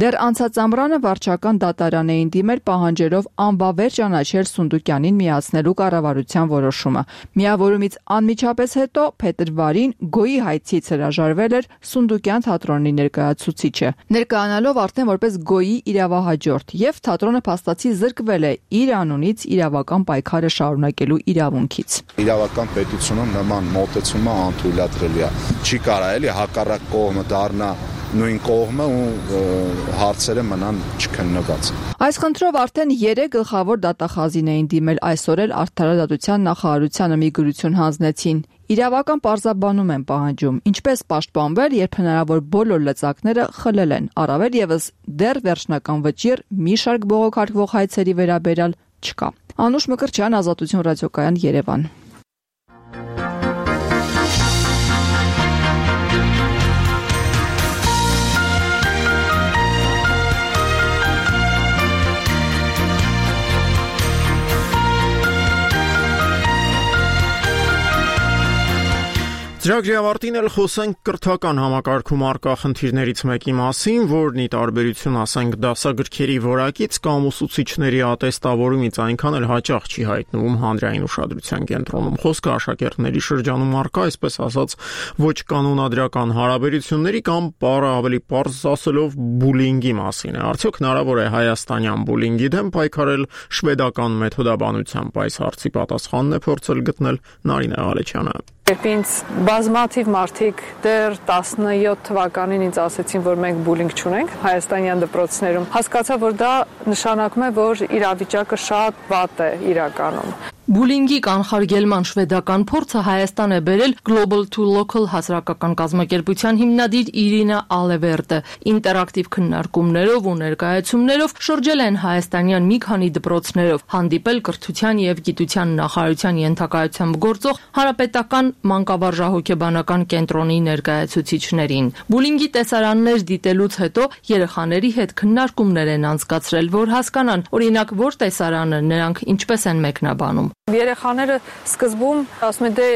Դեռ անցած ամռանը վարչական դատարան էին դիմել պահանջելով անվավեր ճանաչել Սունդուկյանին միացնելու կառավարության որոշումը։ Միավորումից անմիջապես հետո փետրվարին գոյի հայցից հրաժարվել էր Սունդուկյան թատրոնի ներկայացուցիչը, ներկայանալով արդեն որպես գոյի իրավահաջորդ, եւ թատրոնը փաստացի զրկվել է իր անունից իրավական պայքարը շարունակելու իրավունքից։ Իրավական պետությունում նման մոտեցումը անթույլատրելի է։ Չի կարա էլի հակառակ կողմը դառնա նույն կողմը ու հարցերը մնան չքննված։ Այս խնդրով արդեն երեք գլխավոր դատախազին էին դիմել, այսօր էլ Արդարադատության նախարարությանը մի գրություն հանձնեցին։ Իրավական պարզաբանում են պահանջում, ինչպես պաշտպանվել, երբ հնարավոր բոլոր լծակները խլել են, առավել եւս դեռ վերջնական վճիռ մի շարք բողոքարկվող հայցերի վերաբերյալ չկա։ Անուշ Մկրտչյան, Ազատություն ռադիոկայան, Երևան։ Ծրագրի ավարտին էլ խոսենք կրթական համակարգում առկա խնդիրներից մեկի մասին, որն ի տարբերություն ասենք դասագրքերի որակից կամ ուսուցիչների ատեստավորումից այնքան էլ հաճախ չի հայտնվում հանրային ուշադրության կենտրոնում։ Խոսքը աշակերտների շրջանում առկա, այսպես ասած, ոչ կանոնադրական հարաբերությունների կամ բառը ավելի պարզ ասելով բուլինգի մասին է։ Արդյոք հնարավոր է հայաստանյան բուլինգի դեմ պայքարել շվեդական մեթոդաբանությամբ? Այս հարցի պատասխանն է փորձել գտնել Նարինե Ղալեչյանը։ Երբ ինձ բազմաթիվ մարդիկ դեռ տասնյոթ թվականին ինձ ասեցին, որ մենք բուլինգ չունենք հայաստանյան դպրոցներում, հասկացա, որ դա նշանակում է, որ իրավիճակը շատ վատ է իրականում։ Բուլինգի կանխարգելման շվեդական փորձը Հայաստան է բերել Global to Local հասարակական կազմակերպության հիմնադիր Իրինա Ալևերտը։ Ինտերակտիվ քննարկումներով ու ներկայացումներով շրջել են հայաստանյան մի քանի դպրոցներով, հանդիպել կրթության եւ գիտության նախարարության ենթակայությամբ գործող Հանրապետական մանկավարժահոգեբանական կենտրոնի ներկայացուցիչներին։ Բուլինգի տեսարաններ դիտելուց հետո երեխաների հետ քննարկումներ են անցկացրել, որ հասկանան, օրինակ, որ տեսարանը նրանք ինչպես են մեկնաբանում։ Երեխաները սկզբում ասում են, դե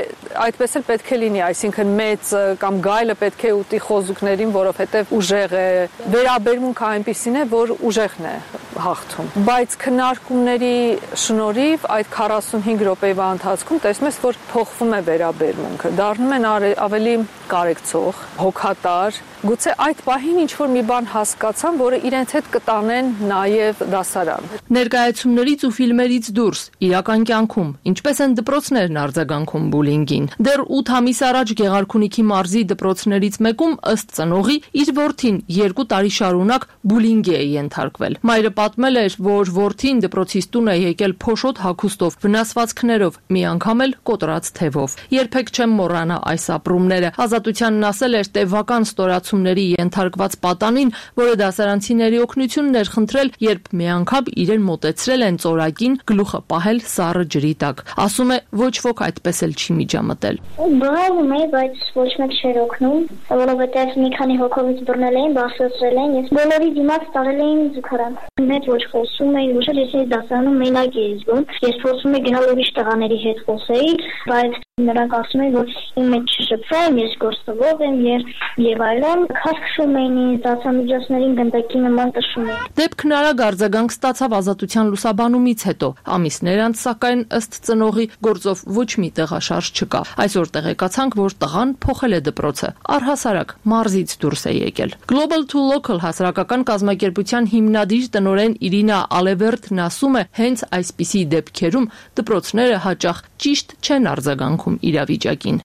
այդպես էլ պետք է լինի, այսինքն մեծ կամ գայլը պետք է ուտի խոզուկներին, որովհետև ուժեղ է, վերաբերմունքը այնպիսին է, որ ուժեղն է հաղթում։ Բայց քննարկումների շնորհիվ այդ քառասունհինգ րոպեվա ընթացքում տեսնում ես, որ փոխվում է վերաբերմունքը, դառնում են ավելի կարեկցող, հոգատար, գուցե այդ պահին ինչ-որ մի բան հասկացան, որը իրենց հետ կտանեն նաև դասարան։ Ներկայացումներից ու ֆիլմերից դուրս իրական կյանքում ինչպես են դպրոցներն արձագանքում բուլինգին։ Դեռ ութ ամիս առաջ Գեղարքունիքի մարզի դպրոցներից մեկում ըստ ծնողի իր որդին երկու տարի շարունակ բուլինգի է ենթարկվել։ Մայրը պատմել էր, որ որդին դպրոցից տուն է եկել փոշոտ հագուստով, վնասվածքներով, մի անգամ էլ կոտրած թևով։ Երբեք չեմ մոռանա այս ապրումները։ Ազատությանն ասել էր տևական ստորացումների ենթարկված պատանին, որը դասարանցիների օգնությունն էր խնդրել, երբ մի անգամ իրեն մոտեցրել են ծորակին գլուխը պահել սառը ջրի տակ։ Ասում է, ոչ ոք այդպես էլ չի միջամտել։ Բռնում է, բայց ոչ մեկ չէր օգնում, որովհետև մի քանի հոգովից բռնել էին, բարձրացրել էին, ես բոլորի դիմաց տարել էին զուգարան։ Մեծ ոչ խոսում էին, ոչ էլ ես դասարանում մենակ էի զգում։ Ես փորձում եմ գնալ ուրիշ տղաների հետ խոսեի, բայց նրանք ասում են, որ իմ մեջ չշփվեմ, ես գործողով եմ եւ եւ այլն, քաշքշում էին ինձ, դասամիջոցներին գնդակի նման տշում էին։ Դեպքն արագ արձագանք ստացավ Ազատության լուսաբանումից հետո։ Ամիսներ անց, սակայն ըստ ծնողի գործով ոչ մի տեղաշարժ չկա։ Այսօր տեղեկացանք, որ տղան փոխել է դպրոցը, առհասարակ մարզից դուրս է եկել։ Global to Local հասարակական կազմակերպության հիմնադիր տնօրեն Իրինա Ալևերտն ասում է, հենց այսպիսի դեպքերում դպրոցները հաճախ ճիշտ չեն արձագանքում իրավիճակին։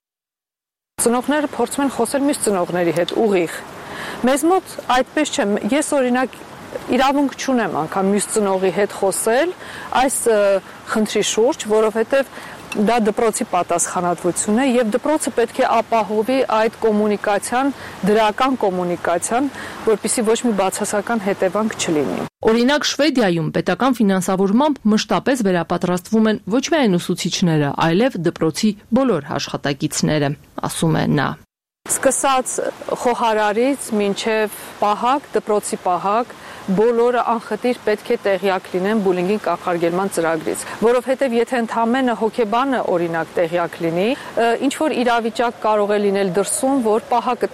Ծնողները փորձում են խոսել մյուս ծնողների հետ ուղիղ։ Մեզ մոտ այդպես չէ։ Ես օրինակ իրավունք չունեմ անգամ մյուս ծնողի հետ խոսել այս խնդրի շուրջ, որովհետև դա դպրոցի պատասխանատվություն է եւ դպրոցը պետք է ապահովի այդ կոմունիկացիան, դրական կոմունիկացիան, որպեսզի ոչ մի բացասական հետևանք չլինի։ Օրինակ Շվեդիայում պետական ֆինանսավորմամբ մշտապես վերապատրաստվում են ոչ միայն ուսուցիչները, այլև դպրոցի բոլոր աշխատակիցները, ասում է նա։ Սկսած խոհարարից մինչև պահակ, դպրոցի պահակ, բոլորը անխտիր պետք է տեղյակ լինեն բուլինգին կանխարգելման ծրագրից, որովհետև եթե ընդամենը հոգեբանը օրինակ տեղյակ լինի, ինչ որ իրավիճակ կարող է լինել դրսում, որ պահակը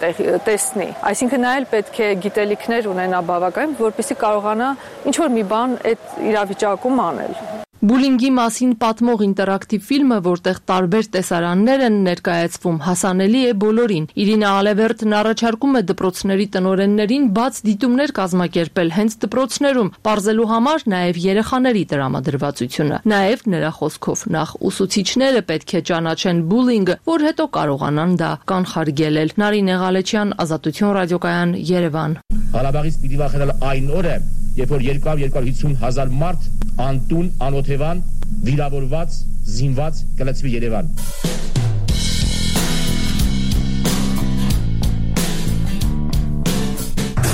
տեսնի, այսինքն նա էլ պետք է գիտելիքներ ունենա բավական, որպեսզի կարողանա ինչ որ մի բան այդ իրավիճակում անել։ Բուլինգի մասին պատմող ինտերակտիվ ֆիլմը, որտեղ տարբեր տեսարաններ են ներկայացվում, հասանելի է բոլորին։ Իրինա Ալևերտն առաջարկում է դպրոցների տնօրեններին բաց դիտումներ կազմակերպել հենց դպրոցներում, պարզելու համար նաև երեխաների տրամադրվածությունը։ Նաև նրա խոսքով նախ ուսուցիչները պետք է ճանաչեն բուլինգը, որ հետո կարողանան դա կանխարգելել։ Նարինե Ղալեչյան, Ազատություն ռադիոկայան, Երևան։ Ղարաբաղից պիտի վախենալ այն օրը, երբ որ երկու հարյուր հիսուն հազար մարդ անտուն, անօթևան, վիրավորված, զինված կլցվի Երևան։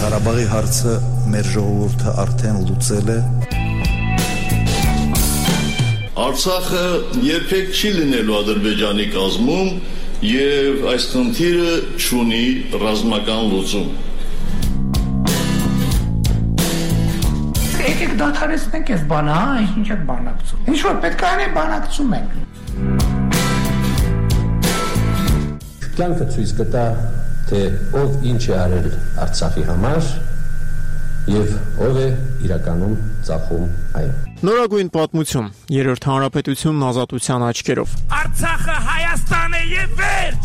Ղարաբաղի հարցը մեր ժողովուրդը արդեն լուծել է։ Արցախը երբեք չի լինելու Ադրբեջանի կազմում եւ այս խնդիրը չունի ռազմական լուծում։ Եկեք դադարեցնենք այս բանը, հա, ինչ եք բանակցում։ Ինչ որ պետք է անենք, բանակցում ենք։ Կյանքը ցույց կտա, թե ով ինչ է արել Արցախի համար եւ ով է իրականում ծախում այն։ Նորագույն պատմություն, երրորդ հանրապետությունն ազատության աչքերով։ Արցախը Հայաստան է եւ վերջ։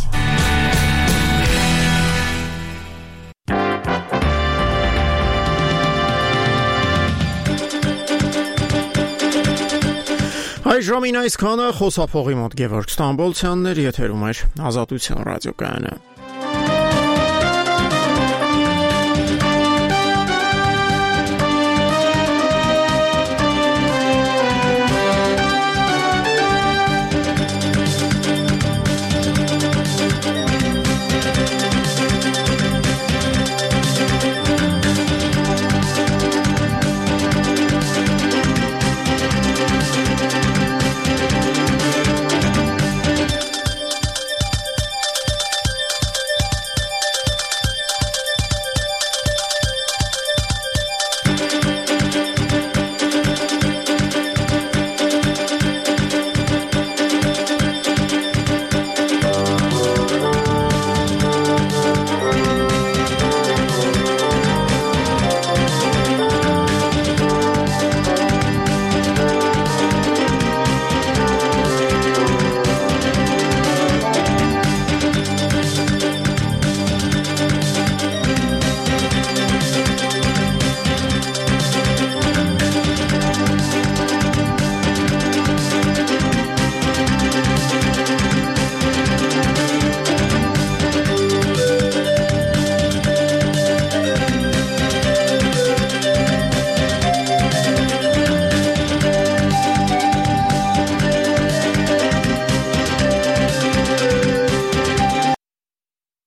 Այս ժամին այսքանը խոսափողի մոտ Գևորգ Ստամբոլցյանն էր, եթերում էր Ազատություն ռադիոկայանը։